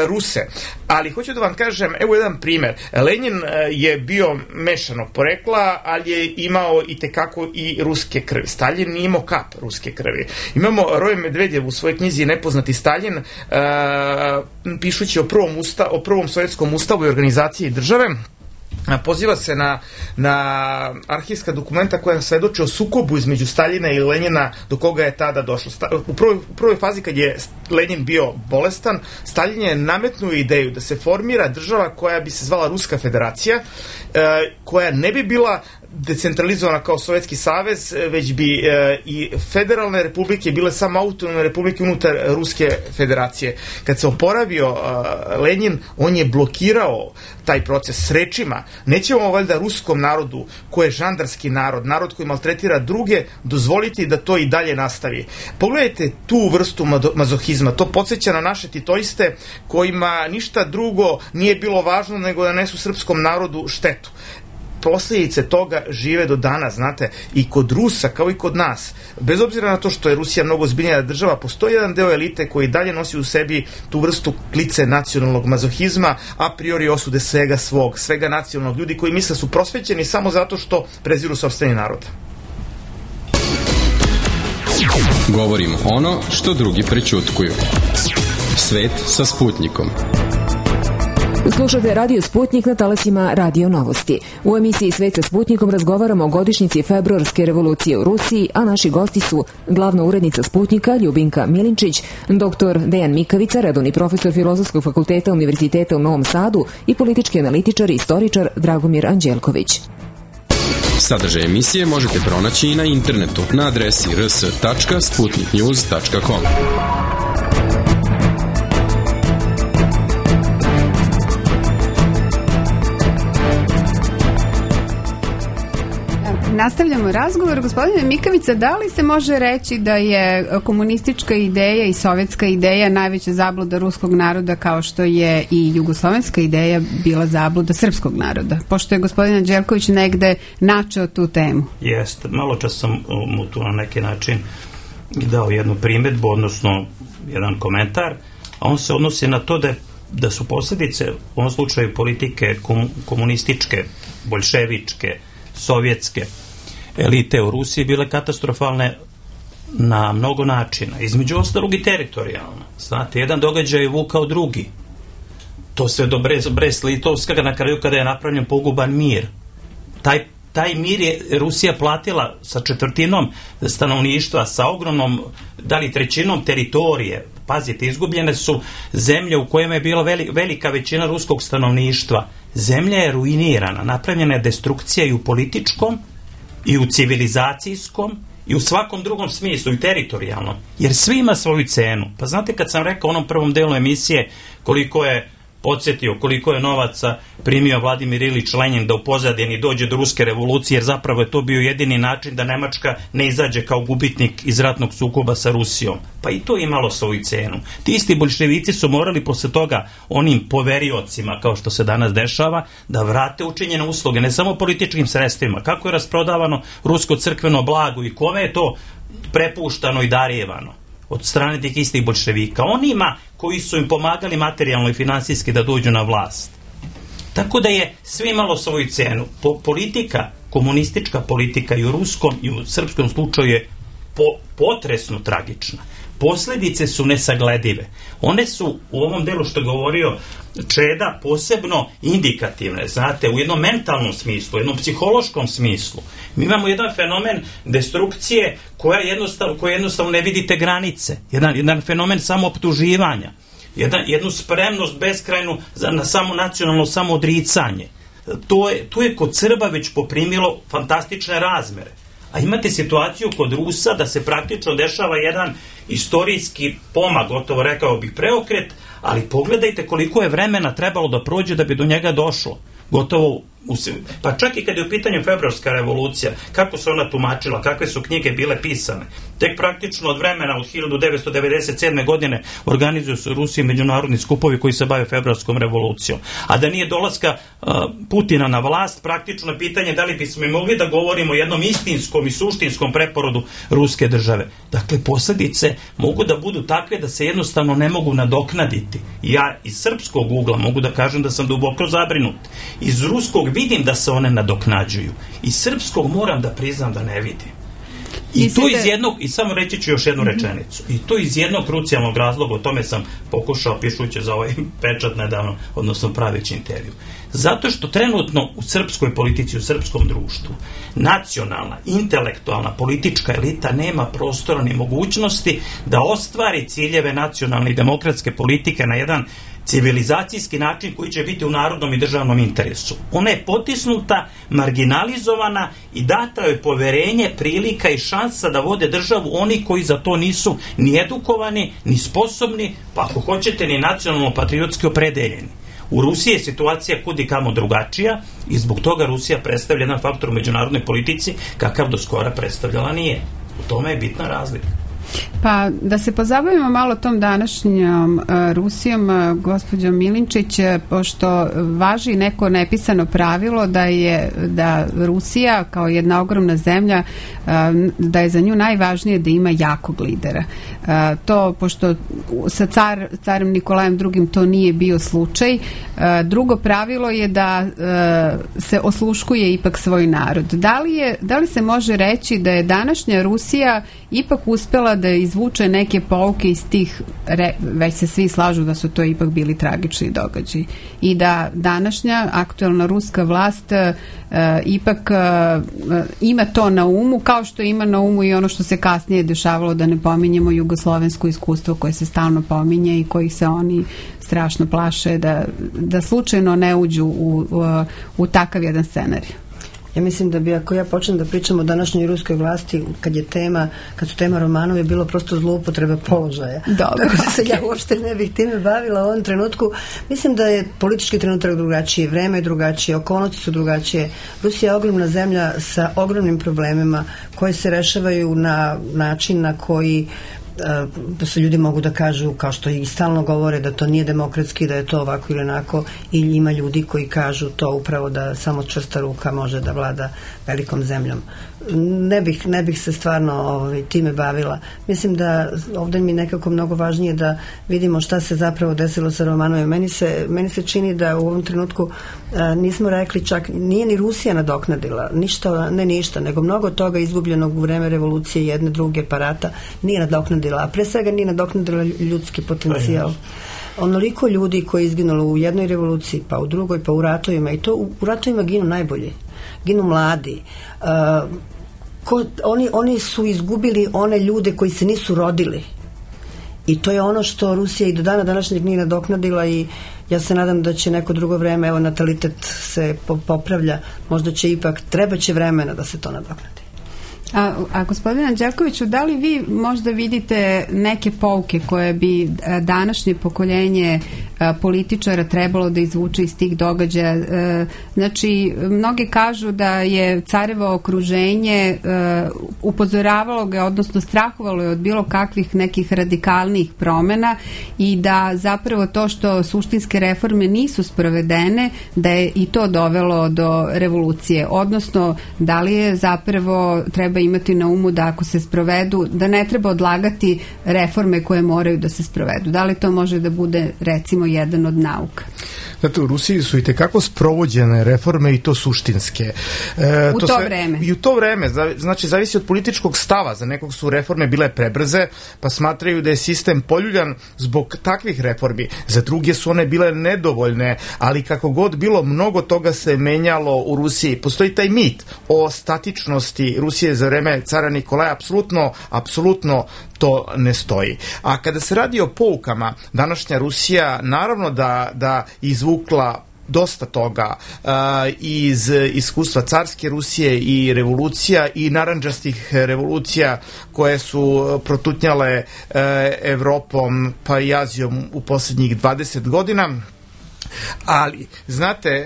Ruse. Ali hoću da vam kažem, evo jedan primer. Lenin je bio mešanog porekla, ali je imao i tekako i ruske krvi. Stalin nije imao kap ruske krvi. Imamo Roje Medvedjev u svojoj knjizi Nepoznati Stalin, pišući o prvom sovjetskom ustavu i organizaciji države, poziva se na arhivska dokumenta koja svedoče o sukobu između Staljina i Lenjina do koga je tada došlo. U prvoj fazi kad je Lenjin bio bolestan, Staljin je nametnuo ideju da se formira država koja bi se zvala Ruska federacija, koja ne bi bila decentralizovana kao Sovjetski savez, već bi i federalne republike bile samo autonomne republike unutar Ruske federacije. Kad se oporavio Lenjin, on je blokirao taj proces s rečima: nećemo valjda ruskom narodu, koji je žandarski narod koji maltretira druge, dozvoliti da to i dalje nastavi. Pogledajte tu vrstu mazohizma, to podsjeća na naše titoiste kojima ništa drugo nije bilo važno nego da nesu srpskom narodu štetu. Posljedice toga žive do danas, znate, i kod Rusa kao i kod nas. Bez obzira na to što je Rusija mnogo ozbiljnija država, postoji jedan deo elite koji dalje nosi u sebi tu vrstu klice nacionalnog mazohizma, a priori osude svega nacionalnog, ljudi koji misle su prosvećeni samo zato što preziru sopstveni narod. Govorimo ono što drugi prećutkuju. Svet sa Sputnikom. Slušate Radio Sputnik na talasima Radio Novosti. U emisiji Svet sa Sputnikom razgovaramo o godišnjici februarske revolucije u Rusiji, a naši gosti su glavna urednica Sputnika Ljubinka Milinčić, dr. Dejan Mikavica, redovni profesor Filozofskog fakulteta Univerziteta u Novom Sadu i politički analitičar i istoričar Dragomir Anđelković. Sadržaj emisije možete pronaći i na internetu na adresi rs.sputniknews.com. Nastavljamo razgovor. Gospodine Mikavica, da li se može reći da je komunistička ideja i sovjetska ideja najveća zabluda ruskog naroda, kao što je i jugoslovenska ideja bila zabluda srpskog naroda? Pošto je gospodin Anđelković negde načeo tu temu. Jeste. Malo čas sam mu tu na neki način dao jednu primjedbu, odnosno jedan komentar, a on se odnosi na to da su posljedice u ovom slučaju politike komunističke, boljševičke, sovjetske elite u Rusiji bile katastrofalne na mnogo načina, između ostalog i teritorijalno. Znate, jedan događaj je vukao drugi. To sve do Brest-Litovska, na kraju kada je napravljen poguban mir. Taj mir je Rusija platila sa četvrtinom stanovništva, sa ogromnom, da li trećinom teritorije. Pazite, izgubljene su zemlje u kojima je bila velika većina ruskog stanovništva. Zemlja je ruinirana, napravljena je destrukcija i u političkom, i u civilizacijskom, i u svakom drugom smislu, i teritorijalnom. Jer svi ima svoju cenu. Pa znate, kad sam rekao u onom prvom delu emisije koliko je novaca primio Vladimir Ilić Lenjin da u pozadini dođe do ruske revolucije, jer zapravo je to bio jedini način da Nemačka ne izađe kao gubitnik iz ratnog sukoba sa Rusijom. Pa i to je imalo svoju cenu. Ti isti boljševici su morali posle toga onim poveriocima, kao što se danas dešava, da vrate učinjene usluge, ne samo političkim sredstvima. Kako je rasprodavano rusko crkveno blago i kome je to prepuštano i darjevano od strane tih istih boljševika, onima koji su im pomagali materijalno i finansijski da dođu na vlast. Tako da je sve imalo svoju cenu. Politika, komunistička politika i u ruskom i u srpskom slučaju je potresno tragična. Posljedice su nesagledive. One su u ovom delu što je govorio Čeda posebno indikativne, znate, u jednom mentalnom smislu, u jednom psihološkom smislu. Mi imamo jedan fenomen destrukcije koja jednostavno ne vidite granice, jedan fenomen samooptuživanja, jednu spremnost beskrajnu na samo nacionalno samoodricanje. To je kod Srba već poprimilo fantastične razmere. A imate situaciju kod Rusa da se praktično dešava jedan istorijski pomak, gotovo rekao bih preokret, ali pogledajte koliko je vremena trebalo da prođe da bi do njega došlo. Gotovo, pa čak i kad je u pitanju februarska revolucija, kako se ona tumačila, kakve su knjige bile pisane. Tek praktično od vremena od 1997. godine organizuju se u Rusiji međunarodni skupovi koji se bave februarskom revolucijom. A da nije dolaska Putina na vlast, praktično pitanje da li bismo mogli da govorimo o jednom istinskom i suštinskom preporodu ruske države. Dakle, posljedice mogu da budu takve da se jednostavno ne mogu nadoknaditi. Ja iz srpskog ugla mogu da kažem da sam duboko zabrinut. Iz ruskog vidim da se one nadoknađuju. Iz srpskog moram da priznam da ne vidim. I to iz jednog, i samo reći ću još jednu rečenicu, i to iz jednog krucijalnog razloga, o tome sam pokušao pišući za ovaj pečat nedavno, odnosno praveći intervju. Zato što trenutno u srpskoj politici, u srpskom društvu, nacionalna, intelektualna, politička elita nema prostora ni mogućnosti da ostvari ciljeve nacionalne i demokratske politike na jedan civilizacijski način koji će biti u narodnom i državnom interesu. Ona je potisnuta, marginalizovana i data joj poverenje, prilika i šansa da vode državu oni koji za to nisu ni edukovani, ni sposobni, pa ako hoćete ni nacionalno-patriotski opredeljeni. U Rusiji je situacija kudi kamo drugačija i zbog toga Rusija predstavlja jedan faktor u međunarodnoj politici kakav do skora predstavljala nije. U tome je bitna razlika. Pa da se pozabavimo malo tom današnjom Rusijom, gospođo Milinčić, pošto važi neko nepisano pravilo da Rusija kao jedna ogromna zemlja, da je za nju najvažnije da ima jakog lidera. To, pošto sa carem Nikolajem II to nije bio slučaj, drugo pravilo je da se osluškuje ipak svoj narod. Da li se može reći da je današnja Rusija ipak uspela da izvuče neke pouke iz tih, već se svi slažu da su to ipak bili tragični događaji i da današnja aktuelna ruska vlast ipak ima to na umu, kao što ima na umu i ono što se kasnije dešavalo, da ne pominjemo jugoslovensko iskustvo koje se stalno pominje i kojih se oni strašno plaše da slučajno ne uđu u takav jedan scenarij. Ja mislim da bi, ako ja počnem da pričam o današnjoj ruskoj vlasti, kad su tema Romanov, je bilo prosto zloupotreba položaja. Dobro, tako se ja uopšte ne bih time bavila u ovom trenutku. Mislim da je politički trenutak drugačiji, vreme je drugačije, okolnosti su drugačije. Rusija je ogromna zemlja sa ogromnim problemima koje se rešavaju na način na koji da se ljudi mogu da kažu, kao što i stalno govore, da to nije demokratski, da je to ovako ili onako, i ima ljudi koji kažu to upravo da samo čvrsta ruka može da vlada velikom zemljom. Ne bih se stvarno time bavila. Mislim da ovdje mi nekako mnogo važnije da vidimo šta se zapravo desilo sa Romanovim. Meni se čini da u ovom trenutku nismo rekli, čak nije ni Rusija nadoknadila ništa, nego mnogo toga izgubljenog u vreme revolucije jedne, druge parata nije nadoknadila, a pre svega nije nadoknadila ljudski potencijal. Onoliko ljudi koji je izginulo u jednoj revoluciji, pa u drugoj, pa u ratovima, i to u ratovima ginu najbolji, ginu mladi. Oni su izgubili one ljude koji se nisu rodili, i to je ono što Rusija i do dana današnjeg nije nadoknadila, i ja se nadam da će neko drugo vreme, evo, natalitet se popravlja, možda će ipak, trebaće vremena da se to nadoknadi. A gospodine Anđelkoviću, da li vi možda vidite neke pouke koje bi današnje pokoljenje političara trebalo da izvuče iz tih događaja? Znači, mnogi kažu da je carevo okruženje upozoravalo ga, odnosno strahovalo je od bilo kakvih nekih radikalnih promena, i da zapravo to što suštinske reforme nisu sprovedene, da je i to dovelo do revolucije. Odnosno, da li je zapravo treba imati na umu da ako se sprovedu, da ne treba odlagati reforme koje moraju da se sprovedu. Da li to može da bude, recimo, jedan od nauka? Znate, u Rusiji su i tekako sprovođene reforme, i to suštinske. I u to vreme, znači, zavisi od političkog stava. Za nekog su reforme bile prebrze, pa smatraju da je sistem poljuljan zbog takvih reformi. Za druge su one bile nedovoljne, ali kako god bilo, mnogo toga se menjalo u Rusiji. Postoji taj mit o statičnosti Rusije za vreme cara Nikolaja. Apsolutno to ne stoji. A kada se radi o poukama, današnja Rusija naravno da izvukla dosta toga iz iskustva carske Rusije i revolucija i narandžastih revolucija koje su protutnjale Evropom pa i Azijom u posljednjih 20 godina. Ali, znate,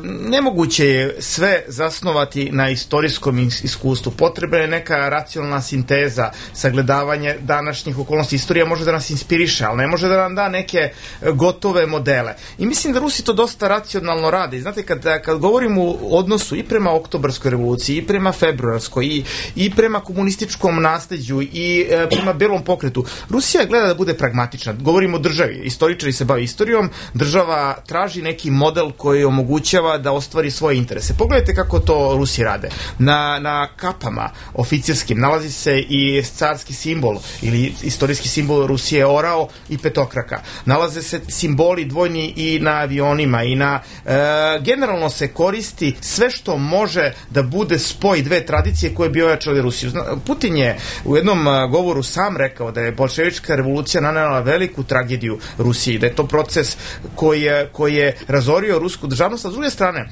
nemoguće je sve zasnovati na istorijskom iskustvu. Potrebna je neka racionalna sinteza, sagledavanje današnjih okolnosti. Istorija može da nas inspiriše, ali ne može da nam da neke gotove modele. I mislim da Rusi to dosta racionalno rade. Znate, kad govorimo o odnosu i prema oktobarskoj revoluciji, i prema februarskoj, i prema komunističkom nasleđu, i prema belom pokretu, Rusija gleda da bude pragmatična. Govorimo o državi. Istoričari se bave istorijom, država da traži neki model koji omogućava da ostvari svoje interese. Pogledajte kako to Rusi rade. Na kapama oficirskim nalazi se i carski simbol ili istorijski simbol Rusije orao i petokraka. Nalaze se simboli dvojni i na avionima i na generalno se koristi sve što može da bude spoj dve tradicije koje bi ojačali Rusiju. Putin je u jednom govoru sam rekao da je bolševička revolucija nanela veliku tragediju Rusiji, da je to proces koji je razorio rusku državnost, a s druge strane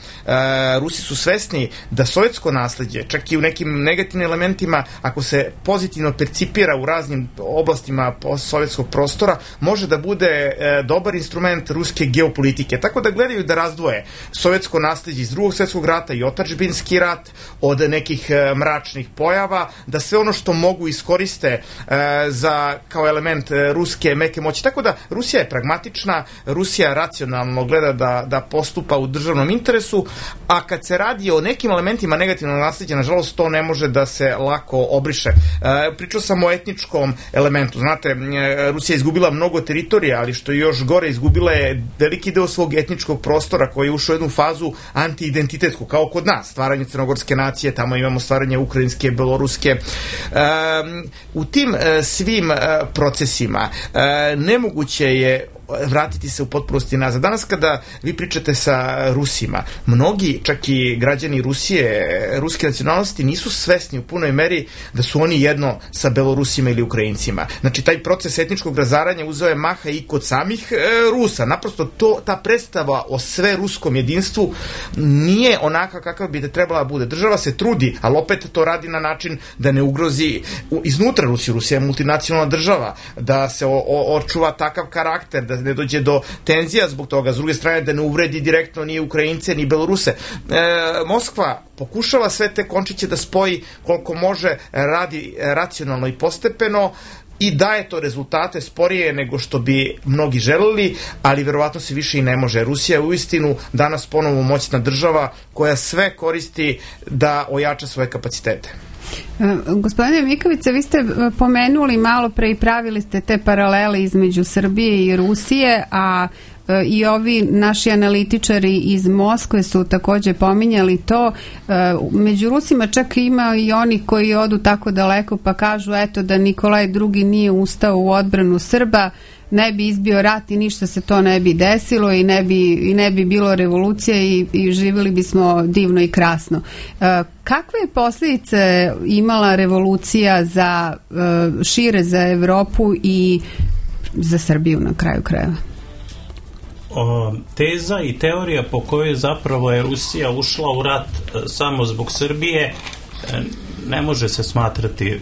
Rusi su svesni da sovjetsko nasleđe, čak i u nekim negativnim elementima, ako se pozitivno percipira u raznim oblastima sovjetskog prostora, može da bude dobar instrument ruske geopolitike. Tako da gledaju da razdvoje sovjetsko nasleđe iz Drugog svjetskog rata i otadžbinski rat od nekih mračnih pojava, da sve ono što mogu iskoriste kao element ruske meke moći. Tako da Rusija je pragmatična, Rusija racionalno gleda da postupa u državnom interesu, a kad se radi o nekim elementima negativnog nasleđa, nažalost to ne može da se lako obriše. Pričao sam o etničkom elementu. Znate, Rusija je izgubila mnogo teritorija, ali što je još gore, izgubila je veliki deo svog etničkog prostora koji je ušao u jednu fazu antiidentitetsku, kao kod nas, stvaranje crnogorske nacije, tamo imamo stvaranje ukrajinske, beloruske. U tim svim procesima nemoguće je vratiti se u potpunosti nazad. Danas kada vi pričate sa Rusima, mnogi, čak i građani Rusije, ruske nacionalnosti, nisu svesni u punoj meri da su oni jedno sa Belorusima ili Ukrajincima. Znači, taj proces etničkog razaranja uzeo je maha i kod samih Rusa. Naprosto ta predstava o sve ruskom jedinstvu nije onaka kakav bi da trebala bude. Država se trudi, ali opet to radi na način da ne ugrozi iznutra Rusiju. Rusija je multinacionalna država, da se očuva takav karakter, da ne dođe do tenzija zbog toga, s druge strane da ne uvredi direktno ni Ukrajince ni Beloruse. Moskva pokušava sve te končiće da spoji koliko može, radi racionalno i postepeno i daje to rezultate sporije nego što bi mnogi želeli, ali verovatno se više i ne može. Rusija je uistinu danas ponovo moćna država koja sve koristi da ojača svoje kapacitete. Gospodine Mikovice, vi ste pomenuli malo pre i pravili ste te paralele između Srbije i Rusije, a i ovi naši analitičari iz Moskve su takođe pominjali to. Među Rusima čak ima i oni koji odu tako daleko pa kažu eto da Nikolaj II nije ustao u odbranu Srba, ne bi izbio rat i ništa se to ne bi desilo i ne bi bilo revolucije i živjeli bismo divno i krasno. Kakve je posljedice imala revolucija za šire za Evropu i za Srbiju na kraju krajeva? Teza i teorija po kojoj zapravo je Rusija ušla u rat samo zbog Srbije ne može se smatrati,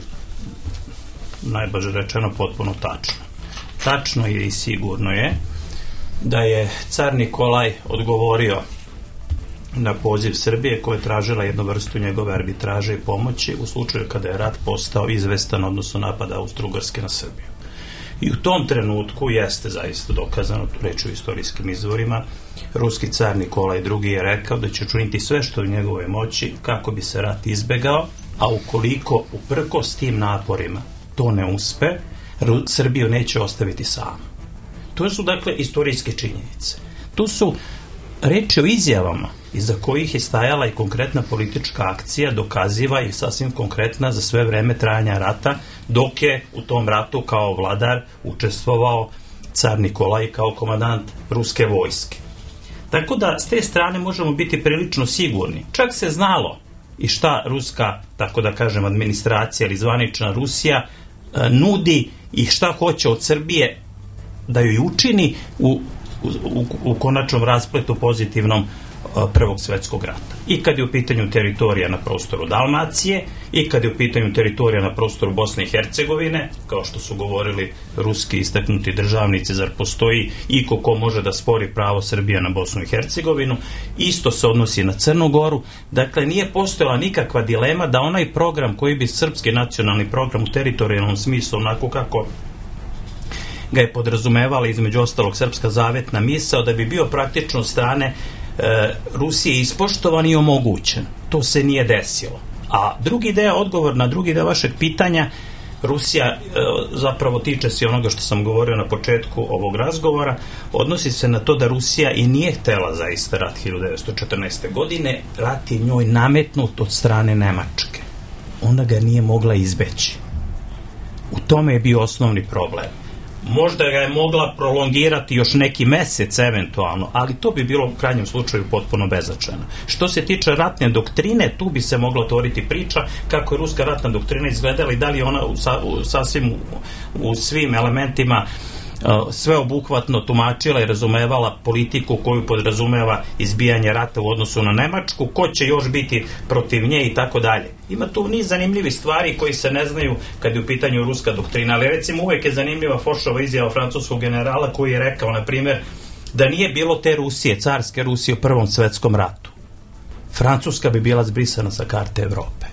najbolje rečeno, potpuno tačno. Tačno je i sigurno je da je car Nikolaj odgovorio na poziv Srbije koja je tražila jednu vrstu njegove arbitraže i pomoći u slučaju kada je rat postao izvestan, odnosno napada Austro-Ugarske na Srbiju. I u tom trenutku jeste zaista dokazano, tu reč u istorijskim izvorima, ruski car Nikolaj II je rekao da će učiniti sve što je u njegovoj moći kako bi se rat izbegao, a ukoliko uprkos tim naporima to ne uspe, Srbiju neće ostaviti samu. To su dakle istorijske činjenice. Tu su reči o izjavama iza kojih je stajala i konkretna politička akcija, dokaziva i sasvim konkretna za sve vreme trajanja rata, dok je u tom ratu kao vladar učestvovao car Nikolaj kao komandant ruske vojske. Tako da s te strane možemo biti prilično sigurni. Čak se znalo i šta ruska, tako da kažem, administracija ili zvanična Rusija nudi i šta hoće od Srbije da joj učini u konačnom raspletu pozitivnom Prvog svjetskog rata. I kad je u pitanju teritorija na prostoru Dalmacije, i kad je u pitanju teritorija na prostoru Bosne i Hercegovine, kao što su govorili ruski istaknuti državnici, zar postoji iko ko može da spori pravo Srbije na Bosnu i Hercegovinu, isto se odnosi na Crnu Goru. Dakle, nije postojala nikakva dilema da onaj program koji bi srpski nacionalni program u teritorijalnom smislu, onako kako ga je podrazumevala između ostalog srpska zavetna misao, da bi bio praktično od strane Rusije ispoštovan i omogućen. To se nije desilo. A drugi deo, odgovor na drugi deo vašeg pitanja, Rusija zapravo tiče se onoga što sam govorio na početku ovog razgovora, odnosi se na to da Rusija i nije htela zaista rat 1914. godine, rat je njoj nametnut od strane Nemačke. Ona ga nije mogla izbeći. U tome je bio osnovni problem. Možda ga je mogla prolongirati još neki mesec eventualno, ali to bi bilo u krajnjem slučaju potpuno beznačajno. Što se tiče ratne doktrine, tu bi se mogla otvoriti priča kako je ruska ratna doktrina izgledala i da li ona sasvim u svim elementima sveobuhvatno tumačila i razumevala politiku koju podrazumeva izbijanje rata u odnosu na Nemačku, ko će još biti protiv nje i tako dalje. Ima tu niz zanimljivih stvari koji se ne znaju kad je u pitanju ruska doktrina, ali recimo uvek je zanimljiva Fošova izjava francuskog generala koji je rekao, na primjer, da nije bilo te Rusije, carske Rusije u Prvom svetskom ratu, Francuska bi bila zbrisana sa karte Evrope.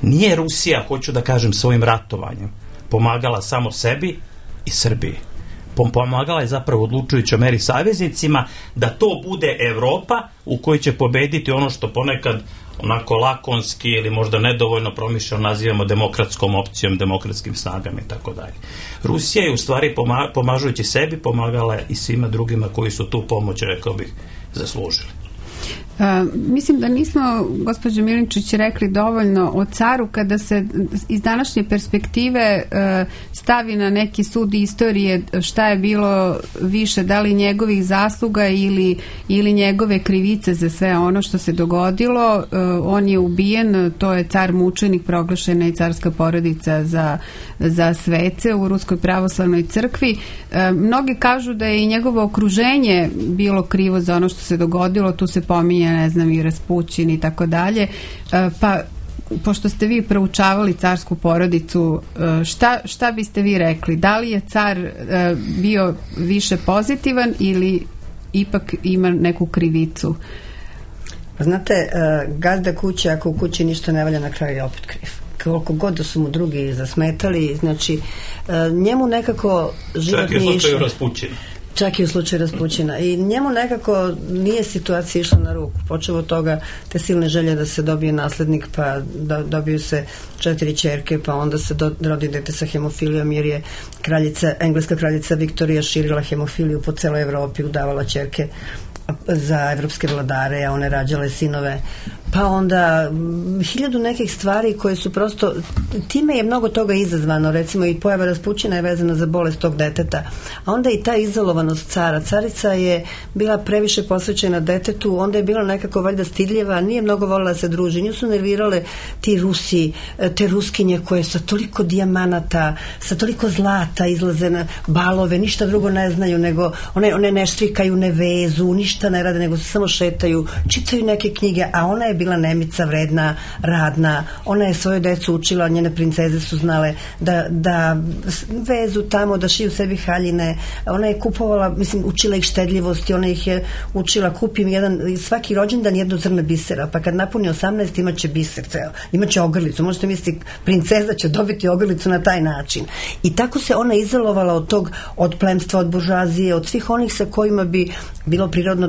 Nije Rusija, hoću da kažem, svojim ratovanjem pomagala samo sebi i Srbiji. Pomagala je zapravo odlučujućoj meri saveznicima da to bude Evropa u kojoj će pobediti ono što ponekad onako lakonski ili možda nedovoljno promišljeno nazivamo demokratskom opcijom, demokratskim snagama i tako dalje. Rusija je u stvari pomažujući sebi pomagala i svima drugima koji su tu pomoć, rekao bih, zaslužili. Mislim da nismo, gospođo Milinčić, rekli dovoljno o caru kada se iz današnje perspektive stavi na neki sud istorije šta je bilo više, da li njegovih zasluga ili njegove krivice za sve ono što se dogodilo. On je ubijen, to je car mučenik, proglašena i carska porodica za svece u Ruskoj pravoslavnoj crkvi. Mnogi kažu da je i njegovo okruženje bilo krivo za ono što se dogodilo, tu se pominje, ne znam, i Raspućin i tako dalje. Pa, pošto ste vi proučavali carsku porodicu, šta biste vi rekli? Da li je car bio više pozitivan ili ipak ima neku krivicu? Znate, gazda kuće, ako u kući ništa ne valja, na kraju je opet kriv. Koliko god da su mu drugi zasmetali, znači njemu nekako život nije išao. Čak i u slučaju Raspućina. I njemu nekako nije situacija išla na ruku. Počeo od toga te silne želje da se dobije naslednik, pa dobiju se 4 ćerke, pa onda se rodi dete sa hemofilijom, jer je engleska kraljica Viktorija širila hemofiliju po celoj Evropi, udavala ćerke za evropske vladare, a one rađale sinove. Pa onda 1000 nekih stvari koje su prosto, time je mnogo toga izazvano, recimo i pojava Raspućina je vezana za bolest tog deteta, a onda i ta izolovanost cara. Carica je bila previše posvećena detetu, onda je bila nekako valjda stidljiva, nije mnogo volila da se druži, nju su nervirale ti Rusi, te Ruskinje koje sa toliko dijamanata, sa toliko zlata izlaze na balove, ništa drugo ne znaju, nego one ne štrikaju, ne vezu, ništa ne rade, nego se samo šetaju, čitaju neke knjige, a ona je bila nemica, vredna, radna, ona je svoju decu učila, njene princeze su znale da vezu tamo, da šiju sebi haljine, ona je kupovala, mislim, učila ih štedljivosti, ona ih je učila, kupim svaki rođendan jedno zrno bisera, pa kad napuni 18 imaće biser ceo, imaće ogrlicu, možete misliti, princeza će dobiti ogrlicu na taj način. I tako se ona izolovala od plemstva, od buržuazije, od svih onih sa kojima bi bilo prirodno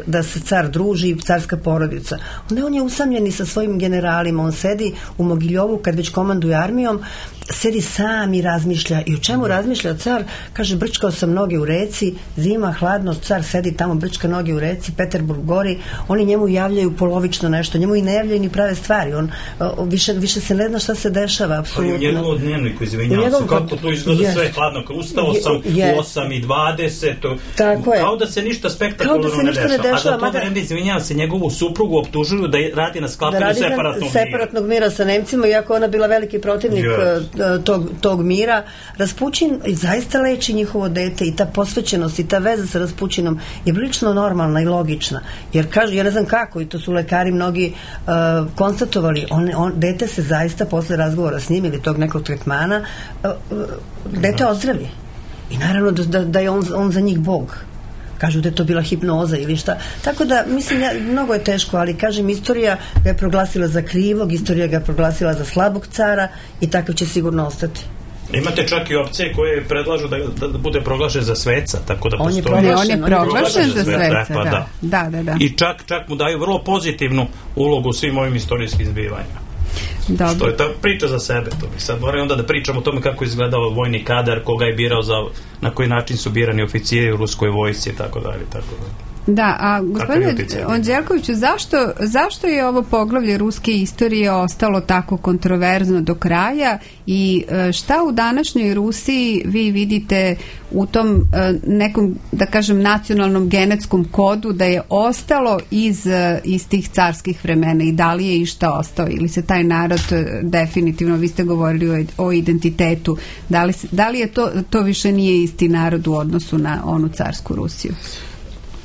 da se car druži, carska porodica. On je usamljeni sa svojim generalima, on sedi u Mogiljovu kad već komanduje armijom, sedi sam i razmišlja. I o čemu razmišlja car? Kaže, brčkao sam noge u reci, zima, hladno, car sedi tamo, brčka noge u reci, Peterburg gori, oni njemu javljaju polovično nešto, njemu i ne javljaju ni prave stvari, on više se ne zna šta se dešava, apsolutno. U njegovom dnevniku, izvinjavam se, kako to izgleda sve hladno, ustao sam u 8:20, kao da se ništa spektakularno ne dešava. A za to vreme, izvinjavam se, njegovu suprugu optužuju da radi na sklapanju separatnog mira sa Nemcima, iako ona bila veliki protivnik tog mira. Raspućin zaista leči njihovo dete i ta posvećenost i ta veza sa Raspućinom je prilično normalna i logična. Jer kažu, ja ne znam kako, i to su lekari mnogi konstatovali, dete se zaista posle razgovora s njim ili tog nekog tretmana dete ozdravi. I naravno da je on za njih Bog. Kažu da je to bila hipnoza ili šta. Tako da, mislim, mnogo je teško, ali kažem, istorija ga je proglasila za krivog, istorija ga je proglasila za slabog cara i takav će sigurno ostati. Imate čak i opcije koje predlažu da bude proglašen za sveca, tako da postoji. On je proglašen za sveca, da. I čak mu daju vrlo pozitivnu ulogu u svim ovim istorijskim zbivanjima. Dobro. Što je ta priča za sebe. To bi sad morali onda da pričamo o tome kako je izgledao vojni kadar, koga je birao, na koji način su birani oficiri u ruskoj vojsci i tako dalje. Da, a gospodine Anđelkoviću, zašto je ovo poglavlje ruske istorije ostalo tako kontroverzno do kraja i šta u današnjoj Rusiji vi vidite u tom nekom, da kažem, nacionalnom genetskom kodu da je ostalo iz tih carskih vremena i da li je išta ostao ili se taj narod definitivno, vi ste govorili o identitetu, da li je to više nije isti narod u odnosu na onu carsku Rusiju?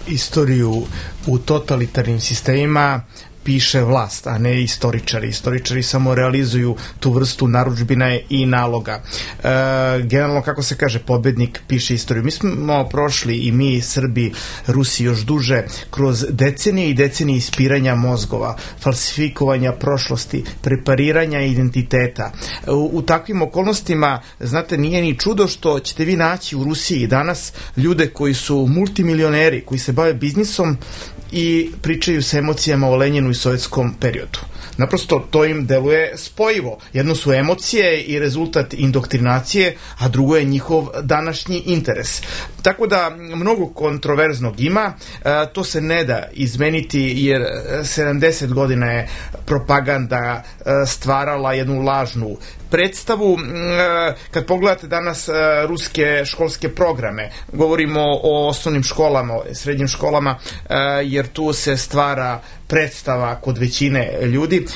Istoriju u totalitarnim sistemima piše vlast, a ne istoričari. Istoričari samo realizuju tu vrstu narudžbina i naloga. Generalno, kako se kaže, pobednik piše istoriju. Mi smo prošli, i mi, Srbi, Rusi još duže, kroz decenije i decenije ispiranja mozgova, falsifikovanja prošlosti, prepariranja identiteta. U takvim okolnostima, znate, nije ni čudo što ćete vi naći u Rusiji danas ljude koji su multimilioneri, koji se bave biznisom i pričaju sa emocijama o Lenjinu i sovjetskom periodu. Naprosto to im deluje spojivo. Jedno su emocije i rezultat indoktrinacije, a drugo je njihov današnji interes. Tako da mnogo kontroverznog ima, to se ne da izmeniti jer 70 godina je propaganda stvarala jednu lažnu predstavu. Kad pogledate danas ruske školske programe, govorimo o osnovnim školama, srednjim školama, jer tu se stvara predstava kod većine ljudi,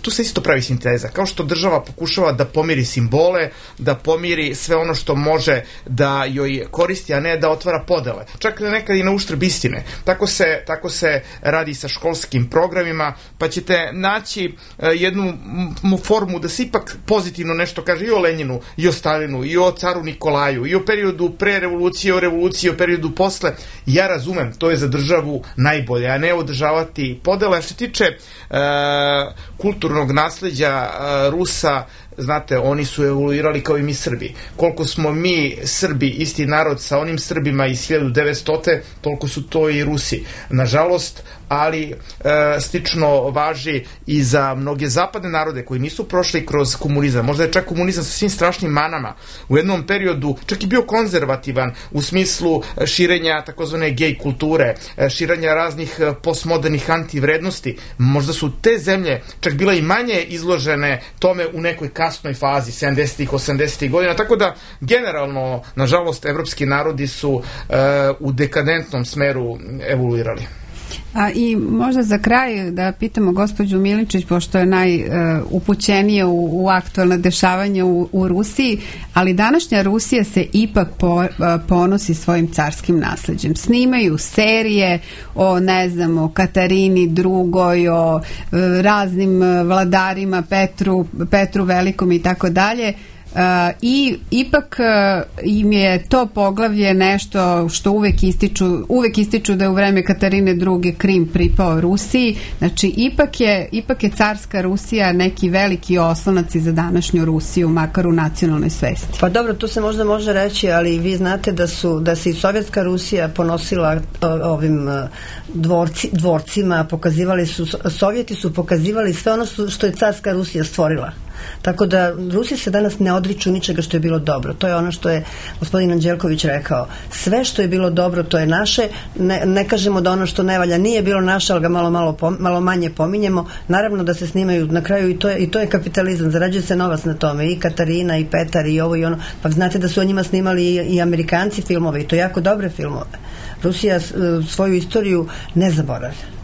tu se isto pravi sinteza. Kao što država pokušava da pomiri simbole, da pomiri sve ono što može da joj koristi, a ne da otvara podele. Čak nekad i na uštrb istine. Tako se radi sa školskim programima, pa ćete naći jednu formu da se ipak pozitivno nešto kaže i o Lenjinu, i o Stalinu, i o caru Nikolaju, i o periodu pre revolucije, o revoluciji, o periodu posle. Ja razumem, to je za državu najbolje, a ne održavati podele. Što se tiče kulturnog nasleđa Rusa, znate, oni su evoluirali kao i mi Srbi. Koliko smo mi Srbi isti narod sa onim Srbima iz 1900. toliko su to i Rusi. Nažalost, ali slično važi i za mnoge zapadne narode koji nisu prošli kroz komunizam. Možda je čak komunizam sa svim strašnim manama u jednom periodu čak i bio konzervativan u smislu širenja takozvane gej kulture, širenja raznih postmodernih antivrednosti. Možda su te zemlje čak bila i manje izložene tome u nekoj kasnoj fazi 70-ih, 80-ih godina, tako da generalno, nažalost, evropski narodi su u dekadentnom smeru evoluirali. I možda za kraj da pitamo gospođu Milinčić, pošto je najupućenije u aktualna dešavanja u Rusiji, ali današnja Rusija se ipak ponosi svojim carskim nasleđem. Snimaju serije o, ne znam, o Katarini II, o raznim vladarima, Petru Velikom i tako dalje. I ipak im je to poglavlje nešto što uvek ističu da je u vreme Katarine II Krim pripao Rusiji. Znači ipak je carska Rusija neki veliki oslonac za današnju Rusiju, makar u nacionalnoj svesti. Pa dobro, to se možda može reći, ali vi znate da se i sovjetska Rusija ponosila ovim dvorcima, Sovjeti su pokazivali sve ono što je carska Rusija stvorila. Tako da Rusi se danas ne odriču ničega što je bilo dobro. To je ono što je gospodin Anđelković rekao. Sve što je bilo dobro, to je naše. Ne kažemo da ono što ne valja nije bilo naše, ali ga malo manje pominjemo. Naravno da se snimaju na kraju i to je kapitalizam. Zarađuje se novac na tome. I Katarina, i Petar, i ovo i ono. Pa znate da su o njima snimali i Amerikanci filmove, i to jako dobre filmove. Rusija svoju istoriju ne zaboravlja.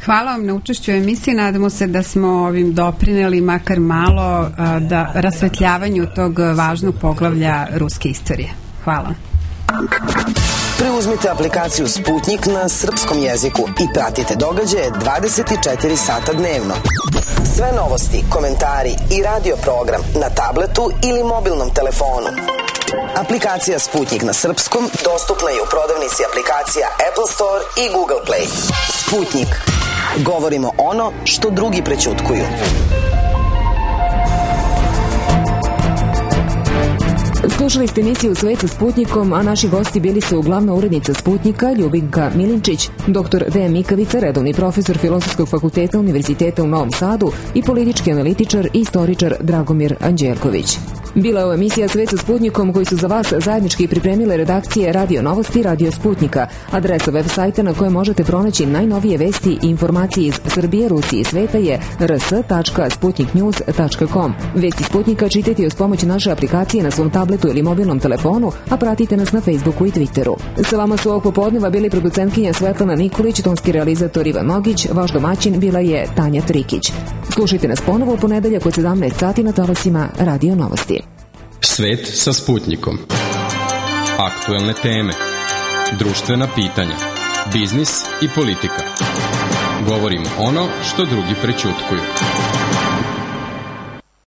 Hvala vam na učešću u emisiji. Nadamo se da smo ovim doprineli makar malo da rasvetljavanju tog važnog poglavlja ruske istorije. Hvala. Preuzmite aplikaciju Sputnik na srpskom jeziku i pratite događaje 24 sata dnevno. Sve novosti, komentari i radio program na tabletu ili mobilnom telefonu. Aplikacija Sputnik na srpskom dostupna je u prodavnici aplikacija Apple Store i Google Play. Sputnik. Govorimo ono što drugi prećutkuju. Slušali ste emisiju Svet sa Sputnikom, a naši gosti bili su glavna urednica Sputnika Ljubinka Milinčić, dr. Dejan Mikavica, redovni profesor Filozofskog fakulteta Univerziteta u Novom Sadu i politički analitičar i istoričar Dragomir Anđelković. Bila je ovo emisija Svet sa Sputnikom koji su za vas zajednički pripremile redakcije Radio Novosti, Radio Sputnika. Adresa web sajta na kojoj možete pronaći najnovije vesti i informacije iz Srbije, Rusije i sveta je rs.sputniknews.com. Vesti Sputnika čitajte uz pomoć naše aplikacije na svom tabletu ili mobilnom telefonu, a pratite nas na Facebooku i Twitteru. Sa vama su ovog popodneva bili producentkinja Svetlana Nikolić, tonski realizator Ivan Nogić, vaš domaćin bila je Tanja Trikić. Slušajte nas ponovo u ponedeljak od 17 sati na talasima Radio Novosti. Svet sa Sputnikom. Aktuelne teme, društvena pitanja, biznis i politika. Govorimo ono što drugi prećutkuju.